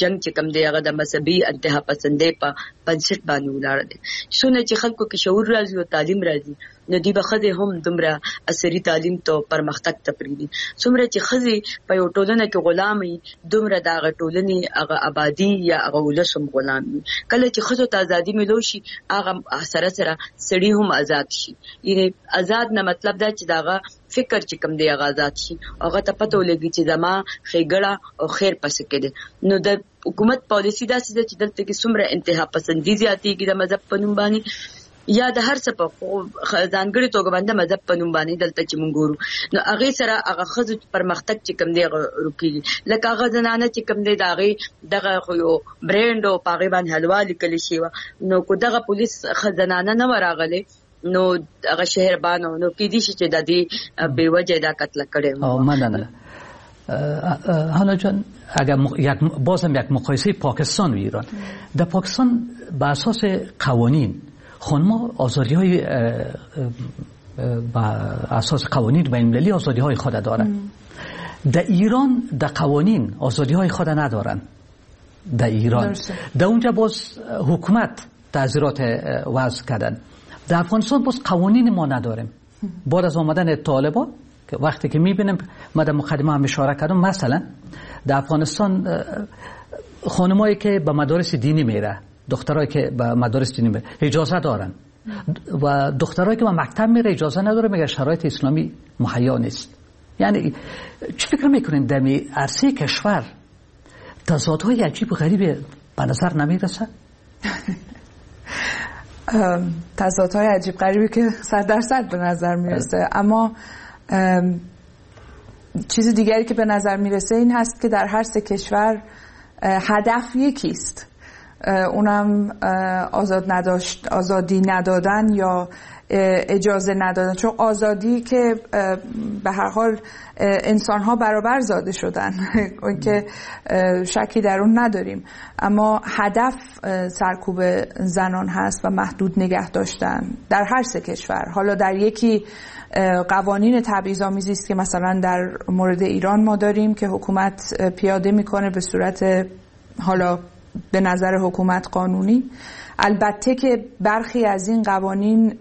جنگ چې کوم دی هغه د مذهبي انتها پسندۍ په بنسټ باندې ولاړ دی. څونه چې خلکو کې شعور راځي او تعلیم راځي نو دوی به ښځې هم دومره عصري تعلیم ته پرمختګ ته پرېږدي. څومره چې ښځې په یو ټولنه کې غلام وي دومره د هغه ټولنې هغه آبادي یا هغه ولس هم غلام وي. کله چې ښځو ته ازادي ملو شي هغه سره سره سړي هم ازاد شي. یعنې ازاد نه مطلب دا چې د هغه فکر چې کوم دی هغه ازاد شي، هغه ته پته ولګي چې زما ښېګړه او خیر پسې کې دی. نو د حکومت پالیسي داسې ده چې دلته کې څومره انتها پسندي زیاتېږي د مذهب په نوم باندې، یا د هر څه په ځانګړي توګه باندې مذهب په نوم باندې دلته چې مونږ ګورو نو هغه سره هغه ښځو پرمختګ چې کوم دی هغه رکیږي. لکه هغه زنانه چې کوم دی د هغې دغه خو یو برانډ او په هغې باندې حلوا لیکل شوې وه، نو که دغه پولیس زنانه نه وه راغلې نو هغه شهربانو نو کېدای شي چې د دې بې وجه دا قتل کړی. مننه. هانا جان، اگر یک بازم یک مقایسه پاکستان و ایران، در پاکستان به اساس قوانین خانم‌ها آزادی‌های به اساس قوانین بین‌المللی آزادی‌های خود دارند. در ایران در قوانین آزادی‌های خود ندارند. در ایران در اونجا باز حکومت تعزیرات وضع کردن. در افغانستان باز قوانین ما نداریم. بعد از آمدن طالبان که وقتی که میبینیم، ما در مقدمه هم اشاره کردم، مثلا در افغانستان خانمایی که به مدارس دینی میره، دخترایی که به مدارس دینی میره اجازه دارن و دخترایی که به مکتب میره اجازه نداره، میگه شرایط اسلامی مهیا نیست. یعنی چی فکر میکنین در عرصه کشور تضادهای عجیب و غریب به نظر نمیرسه؟ تضادهای عجیب غریبی که صد درصد به نظر میرسه، اما چیز دیگری که به نظر میرسه این هست که در هر سه کشور هدف یکیست، اونم آزاد نداشت، آزادی ندادن یا اجازه ندادن. چون آزادی که به هر حال انسان‌ها برابر زاده شدن که شکی در اون نداریم، اما هدف سرکوب زنان هست و محدود نگه داشتن در هر سه کشور. حالا در یکی قوانین تبعیض‌آمیزی است که مثلا در مورد ایران ما داریم که حکومت پیاده میکنه به صورت حالا به نظر حکومت قانونی. البته که برخی از این قوانین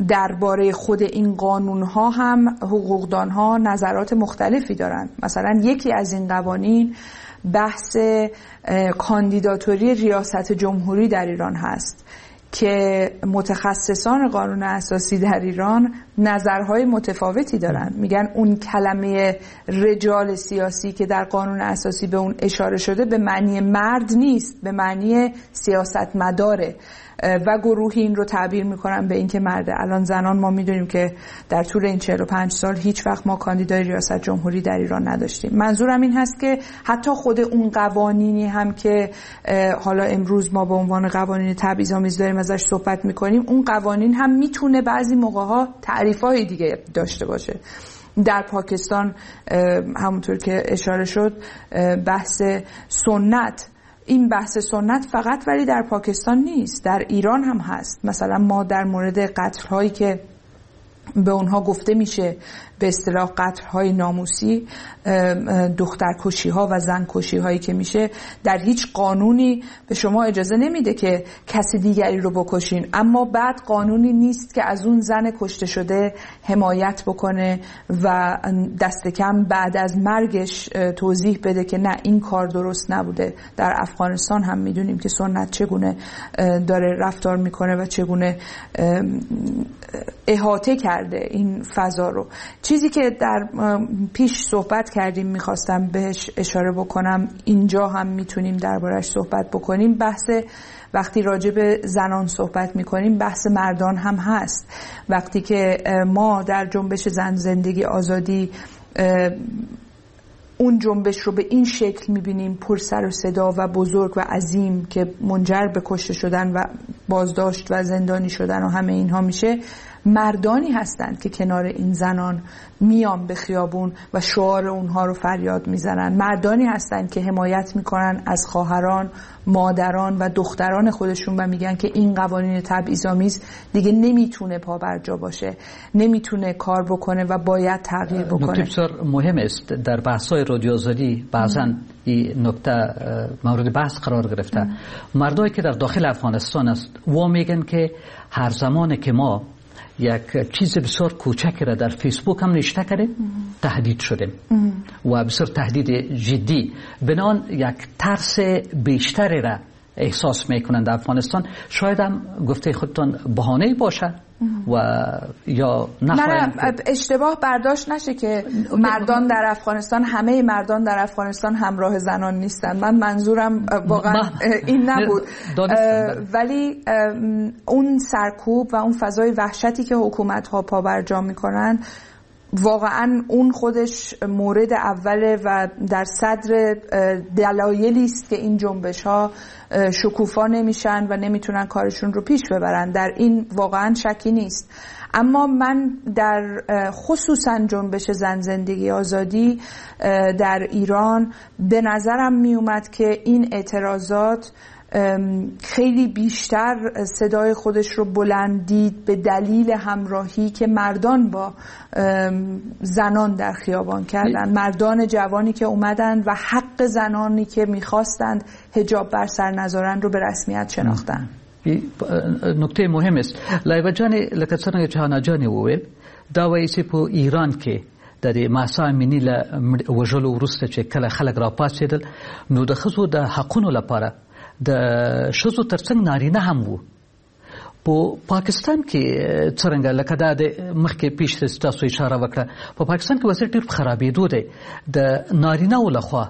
درباره خود این قانونها هم حقوقدانها نظرات مختلفی دارند. مثلا یکی از این قوانین بحث کاندیداتوری ریاست جمهوری در ایران هست که متخصصان قانون اساسی در ایران نظرهای متفاوتی دارن. میگن اون کلمه رجال سیاسی که در قانون اساسی به اون اشاره شده به معنی مرد نیست، به معنی سیاستمداره و گروهی این رو تعبیر میکنن به اینکه مرده. الان زنان ما میدونیم که در طول این چهل و پنج سال هیچ وقت ما کاندیدای ریاست جمهوری در ایران نداشتیم. منظورم این هست که حتی خود اون قوانینی هم که حالا امروز ما به عنوان قوانین تبعیض‌آمیز داریم ازش صحبت میکنیم، اون قوانین هم میتونه بعضی موقع‌ها تعریف‌های دیگه داشته باشه. در پاکستان همونطور که اشاره شد بحث سنت، این بحث سنت فقط ولی در پاکستان نیست، در ایران هم هست. مثلا ما در مورد قتل هایی که به اونها گفته میشه به اصطلاح قتل های ناموسی، دخترکشی ها و زن کشی هایی که میشه، در هیچ قانونی به شما اجازه نمیده که کسی دیگری رو بکشین، اما بعد قانونی نیست که از اون زن کشته شده حمایت بکنه و دست کم بعد از مرگش توضیح بده که نه این کار درست نبوده. در افغانستان هم میدونیم که سنت چگونه داره رفتار میکنه و چگونه احاطه کرده این فضا رو. چیزی که در پیش صحبت کردیم میخواستم بهش اشاره بکنم، اینجا هم میتونیم دربارش صحبت بکنیم، بحث وقتی راجع به زنان صحبت میکنیم بحث مردان هم هست. وقتی که ما در جنبش زن زندگی آزادی اون جنبش رو به این شکل میبینیم، پر سر و صدا و بزرگ و عظیم که منجر به کشته شدن و بازداشت و زندانی شدن و همه اینها میشه، مردانی هستند که کنار این زنان میان به خیابون و شعار اونها رو فریاد میزنن، مردانی هستند که حمایت میکنن از خواهران، مادران و دختران خودشون و میگن که این قوانین تبعیض‌آمیز دیگه نمیتونه پابرجا باشه، نمیتونه کار بکنه و باید تغییر بکنه. نکته بسیار مهم است. در بحث‌های رادیو آزادی بعضاً این نکته مورد بحث قرار گرفته. مردایی که در داخل افغانستان است و میگن که هر زمان که ما یک چیز بسیار کوچک را در فیسبوک هم نوشته کردیم تهدید شدیم و بسیار تهدید جدی، بنان یک ترس بیشتری را احساس میکنند در افغانستان، شاید هم گفته خودتان بهانه‌ای باشه و یا نه نه اشتباه برداشت نشه که مردان در افغانستان، همه مردان در افغانستان همراه زنان نیستن. من منظورم واقعا این نبود، ولی اون سرکوب و اون فضای وحشتی که حکومت ها پابرجا میکنن واقعا اون خودش مورد اوله و در صدر دلایلی است که این جنبش ها شکوفا نمیشن و نمیتونن کارشون رو پیش ببرن. در این واقعا شکی نیست. اما من در خصوصا جنبش زن زندگی آزادی در ایران به نظرم میومد که این اعتراضات خیلی بیشتر صدای خودش رو بلند دید به دلیل همراهی که مردان با زنان در خیابان کردن، مردان جوانی که اومدن و حق زنانی که میخواستند حجاب بر سر نذارن رو به رسمیت شناختن. نکته مهم است. لایبه جان، لکه څنګه چې حنا جان وویل، دا وایي چې په ایران کې د دې مهسا امیني له وژلو وروسته چې کله خلک راپاڅېدل نو د ښځو د حقونو لپاره د ښځو ترڅنګ نارینه هم وو. په پاکستان کې څرنګه، لکه دا د مخکې پیش تاسو اشاره وکړه، په پاکستان کې وضعیت ډېر په خرابېدو دی، د نارینه و لخوا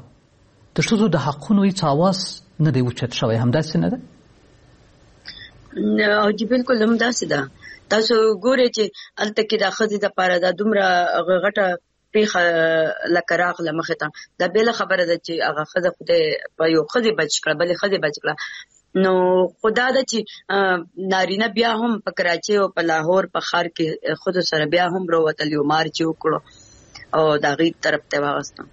د ښځو د حقونو هیڅ اواز نه دی اوچت شوی، همداسې نه ده؟ نه جی، بالکل همداسې ده. تاسو ګورئ چې هلته کې د ښځې دپاره دا دومره غټه پیښه لکه راغله مخې ته، دا بېله خبره ده چې هغه ښځه خدای په یو ښځې بچ کړه، بلې ښځې بچ کړه. نو خدا ده چې نارینه بیا هم په کراچۍ او په لاهور په ښار کې ښځو سره بیا هم راوتل، یو مارچ یې وکړو او د هغې طرف ته واغستم.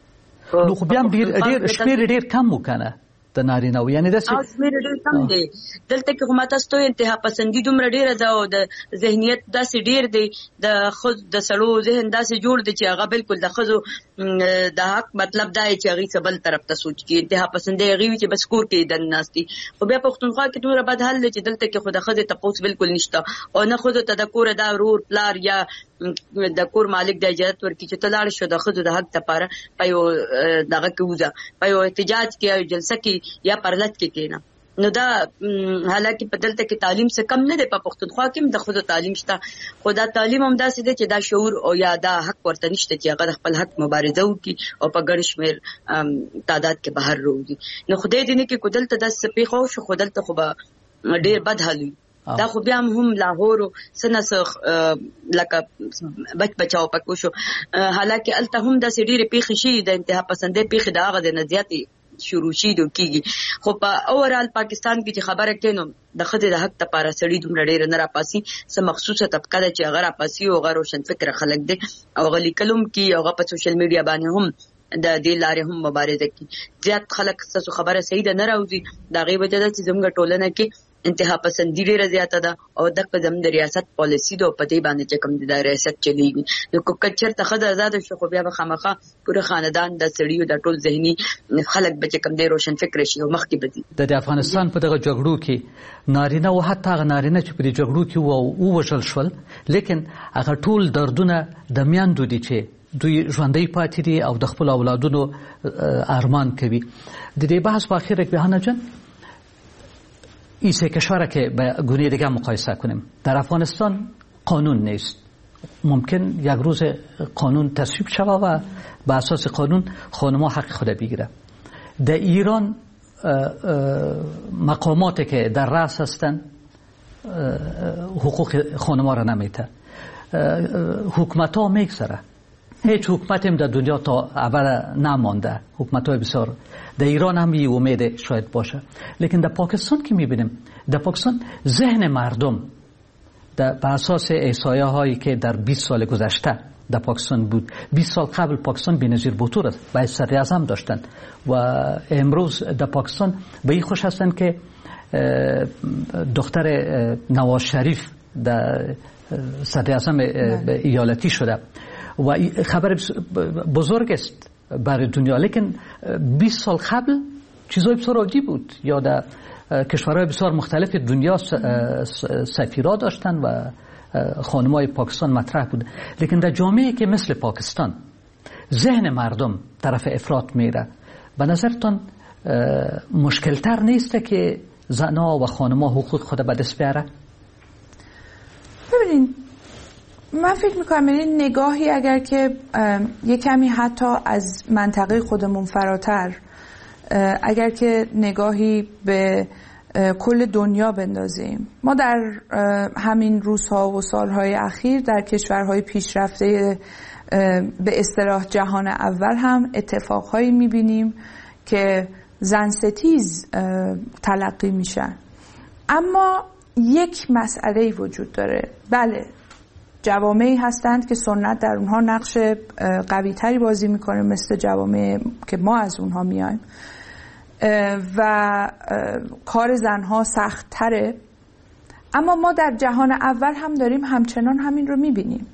نو خو بیا هم ډېر ډېر شمېر ډېر کم و که نه د نارینه و، یعنې داسې شمېر ډېر کم دی. دلته کې خو ما تاسو ته انتها پسندي دومره ډېره ده او د ذهنیت داسې ډېر دی، د ښځو د سړو ذهن داسې جوړ دی چې هغه بالکل د ښځو د حق مطلب دا دی چې هغې څه بل طرف ته سوچ کړي. انتها پسندي هغې وي چې بس کور کې دننه ناست دي. خو بیا پښتونخوا کې دومره بد حال دی چې دلته کې خو د ښځې تپوس بالکل نشته او نه ښځو ته د کوره دا ورور پلار یا د کور مالک د اجازه ورکړي چې ته لاړ شو د ښځو د حق لپاره په یو دغه کې وځه، په یو احتجاج کې یا جلسه کې یا پرلت کې کېنه. نو دا حالانکه په دلته کې تعلیم څه کم نه دی، په پښتونخوا کې هم د ښځو تعلیم شته، خو دا تعلیم هم داسې دی چې دا شعور او یا دا حق ورته نشته چې هغه د خپل حق مبارزه وکړي او په ګڼ شمېر تعداد کې بهر راوځي. نو خدای دې نه کړي که دلته داسې څه پېښه وشو، خو دلته خو به ډېر بد حال وي. دا خو بیا هم لاهور څه نه څه لکه بچ بچاو پکې وشو، حالانکه هلته هم داسې ډېرې پېښې شوي، د انتها پسندۍ پېښې د هغه د نه زیاتې شروع شي دو کیږي. خو په اوورال پاکستان کې چې خبره کوي نو د ښځې د حق لپاره سړي دومره ډېر نه راپاسي، څه مخصوصه طبقه ده چې هغه راپاسي او هغه روشنفکره خلک دي او هغه لیکل هم کوي او هغه په سوشل میډیا باندې هم د دې لارې هم مبارزه کوي. زیات خلک ستاسو خبره صحیح ده نه راوځي، د هغې وجه ده چې زموږ ټولنه کې انتها پسندي ډېره زیاته ده او دغه زموږ د ریاست پالیسي ده او په دې باندې چې کوم د ریاست چلیږي. نو که چېرته ښځه ازاده شي خو بیا به خامخا پوره خاندان د سړیو د ټول ذهني خلک به چې کوم دی روشنفکره شي او مخکې به ځي. د افغانستان په دغه جګړو کې نارینه او حتی هغه نارینه چې په دې جګړو کې وو ووژل شول، لیکن هغه ټول دردونه د میندو دي چې دوی ژوندۍ پاتې دي او د خپل اولادونو ارمان کوي. د دې بحث په اخر کې حنا جان، این سه کشور که به گونه دیگه مقایسه کنیم، در افغانستان قانون نیست، ممکن یک روز قانون تصویب شود و به اساس قانون خانم‌ها حق خود بگیره. در ایران مقاماتی که در رأس هستند حقوق خانم‌ها را نمیده، حکومت ها میگذره، هیچ حکومتی هم در دنیا تا ابد نمانده، حکومت های بسیار در ایران هم یه امید شاید باشه، لیکن در پاکستان که میبینیم، در پاکستان ذهن مردم در به اساس احصایه هایی که در بیست سال گذشته در پاکستان بود، بیست سال قبل پاکستان بی‌نظیر بوتو را به صدر اعظم داشتند و امروز در پاکستان به این خوش هستند که دختر نواز شریف در صدر اعظم ایالتی شده و خبر بزرگ است برای دنیا. لیکن بیست سال قبل چیزای بسیار عادی بود، یا در کشورهای بسیار مختلف دنیا سفیرا داشتن و خانمای پاکستان مطرح بود. لیکن در جامعه که مثل پاکستان ذهن مردم طرف افراط میره، به نظرتان مشکلتر نیست که زنها و خانم‌ها حقوق خود به دست بیاره؟ ببینین، من فکر میکنم این نگاهی اگر که یه کمی حتی از منطقه خودمون فراتر، اگر که نگاهی به کل دنیا بندازیم، ما در همین روزها و سالهای اخیر در کشورهای پیشرفته به اصطلاح جهان اول هم اتفاقهایی میبینیم که زن ستیز تلقی میشن. اما یک مسئله‌ای وجود داره. بله، جوامعی هستند که سنت در اونها نقش قوی تری بازی میکنه، مثل جوامع که ما از اونها میایم و کار زنها سخت تره. اما ما در جهان اول هم داریم همچنان همین رو میبینیم.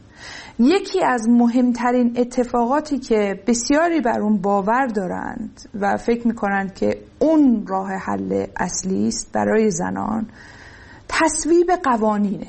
یکی از مهمترین اتفاقاتی که بسیاری بر اون باور دارند و فکر میکنند که اون راه حل اصلی است برای زنان، تصویب قوانینه.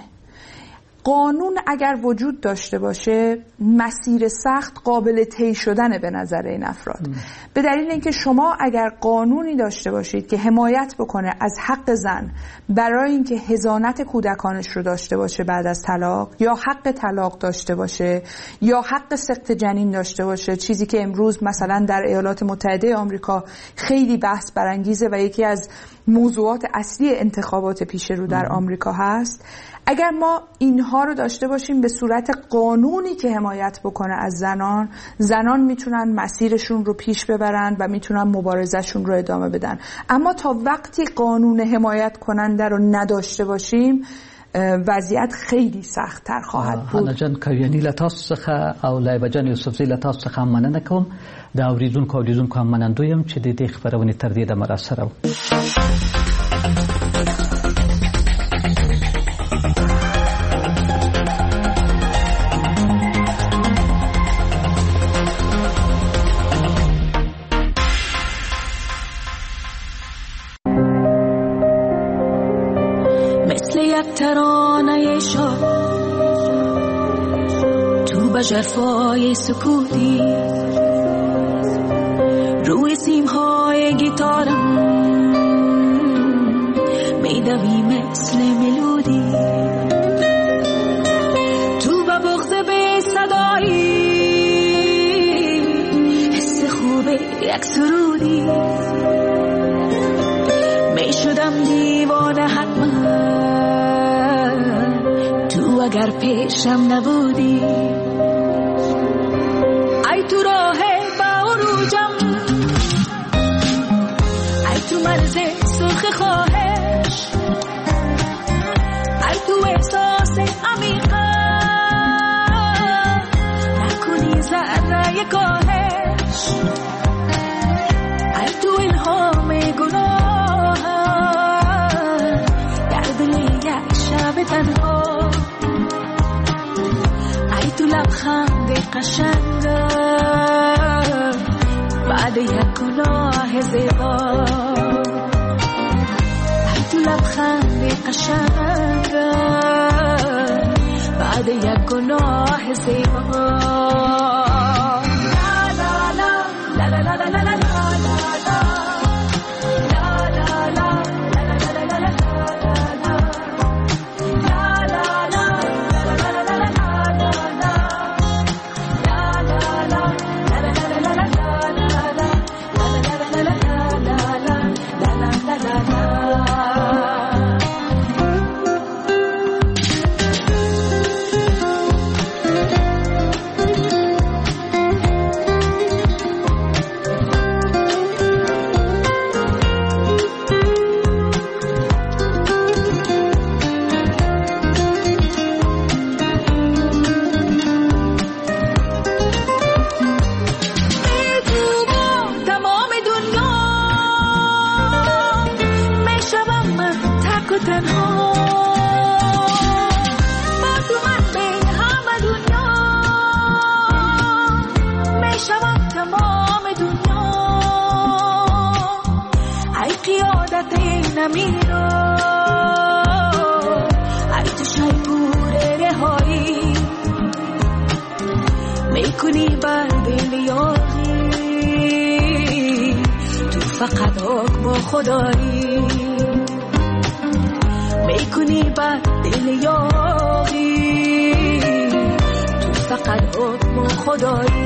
قانون اگر وجود داشته باشه، مسیر سخت قابل طی شدنه به نظر این افراد. ام. به دلیل اینکه شما اگر قانونی داشته باشید که حمایت بکنه از حق زن برای اینکه حضانت کودکانش رو داشته باشه بعد از طلاق، یا حق طلاق داشته باشه، یا حق سقط جنین داشته باشه، چیزی که امروز مثلا در ایالات متحده آمریکا خیلی بحث برانگیزه و یکی از موضوعات اصلی انتخابات پیش رو در آمریکا هست. اگر ما اینها رو داشته باشیم به صورت قانونی که حمایت بکنه از زنان، زنان میتونن مسیرشون رو پیش ببرن و میتونن مبارزهشون رو ادامه بدن. اما تا وقتی قانون حمایت کننده رو نداشته باشیم، وضعیت خیلی سخت‌تر خواهد بود. حنا جان کویانی له تاسو څخه او لایبه جان یوسفزۍ له تاسو څخه هم مننه کوم. د اورېدونکو او لیدونکو هم منندوی یم چې د دې خپرونې تر دې دمه راسره وو. ترانه شاد تو به ژرفای سکوتی، روی سیمهای گیتارم میدوی مثل ملودی، تو به بغض بی صدایی حس خوب یک سرودی، میشدم دیوانه حتما تو اگر پیشم نبودی. ای تو راه با عروجم، ای تو مرز سرخ خواهش، ای تو احساس عمیقم نکنی ذره کاهش، ای تو الهام گناهم در دل یک شب تنها، ای تو لبخند قشنگم بعد یک گناه زیبا، ای تو لبخند قشنگم بعد یک گناه زیبا. لا لا لا لا لا لا لا میکنی بر دل یاغی، تو فقط حکم خدایی. میکنی بر دل یاغی، تو فقط حکم خدایی.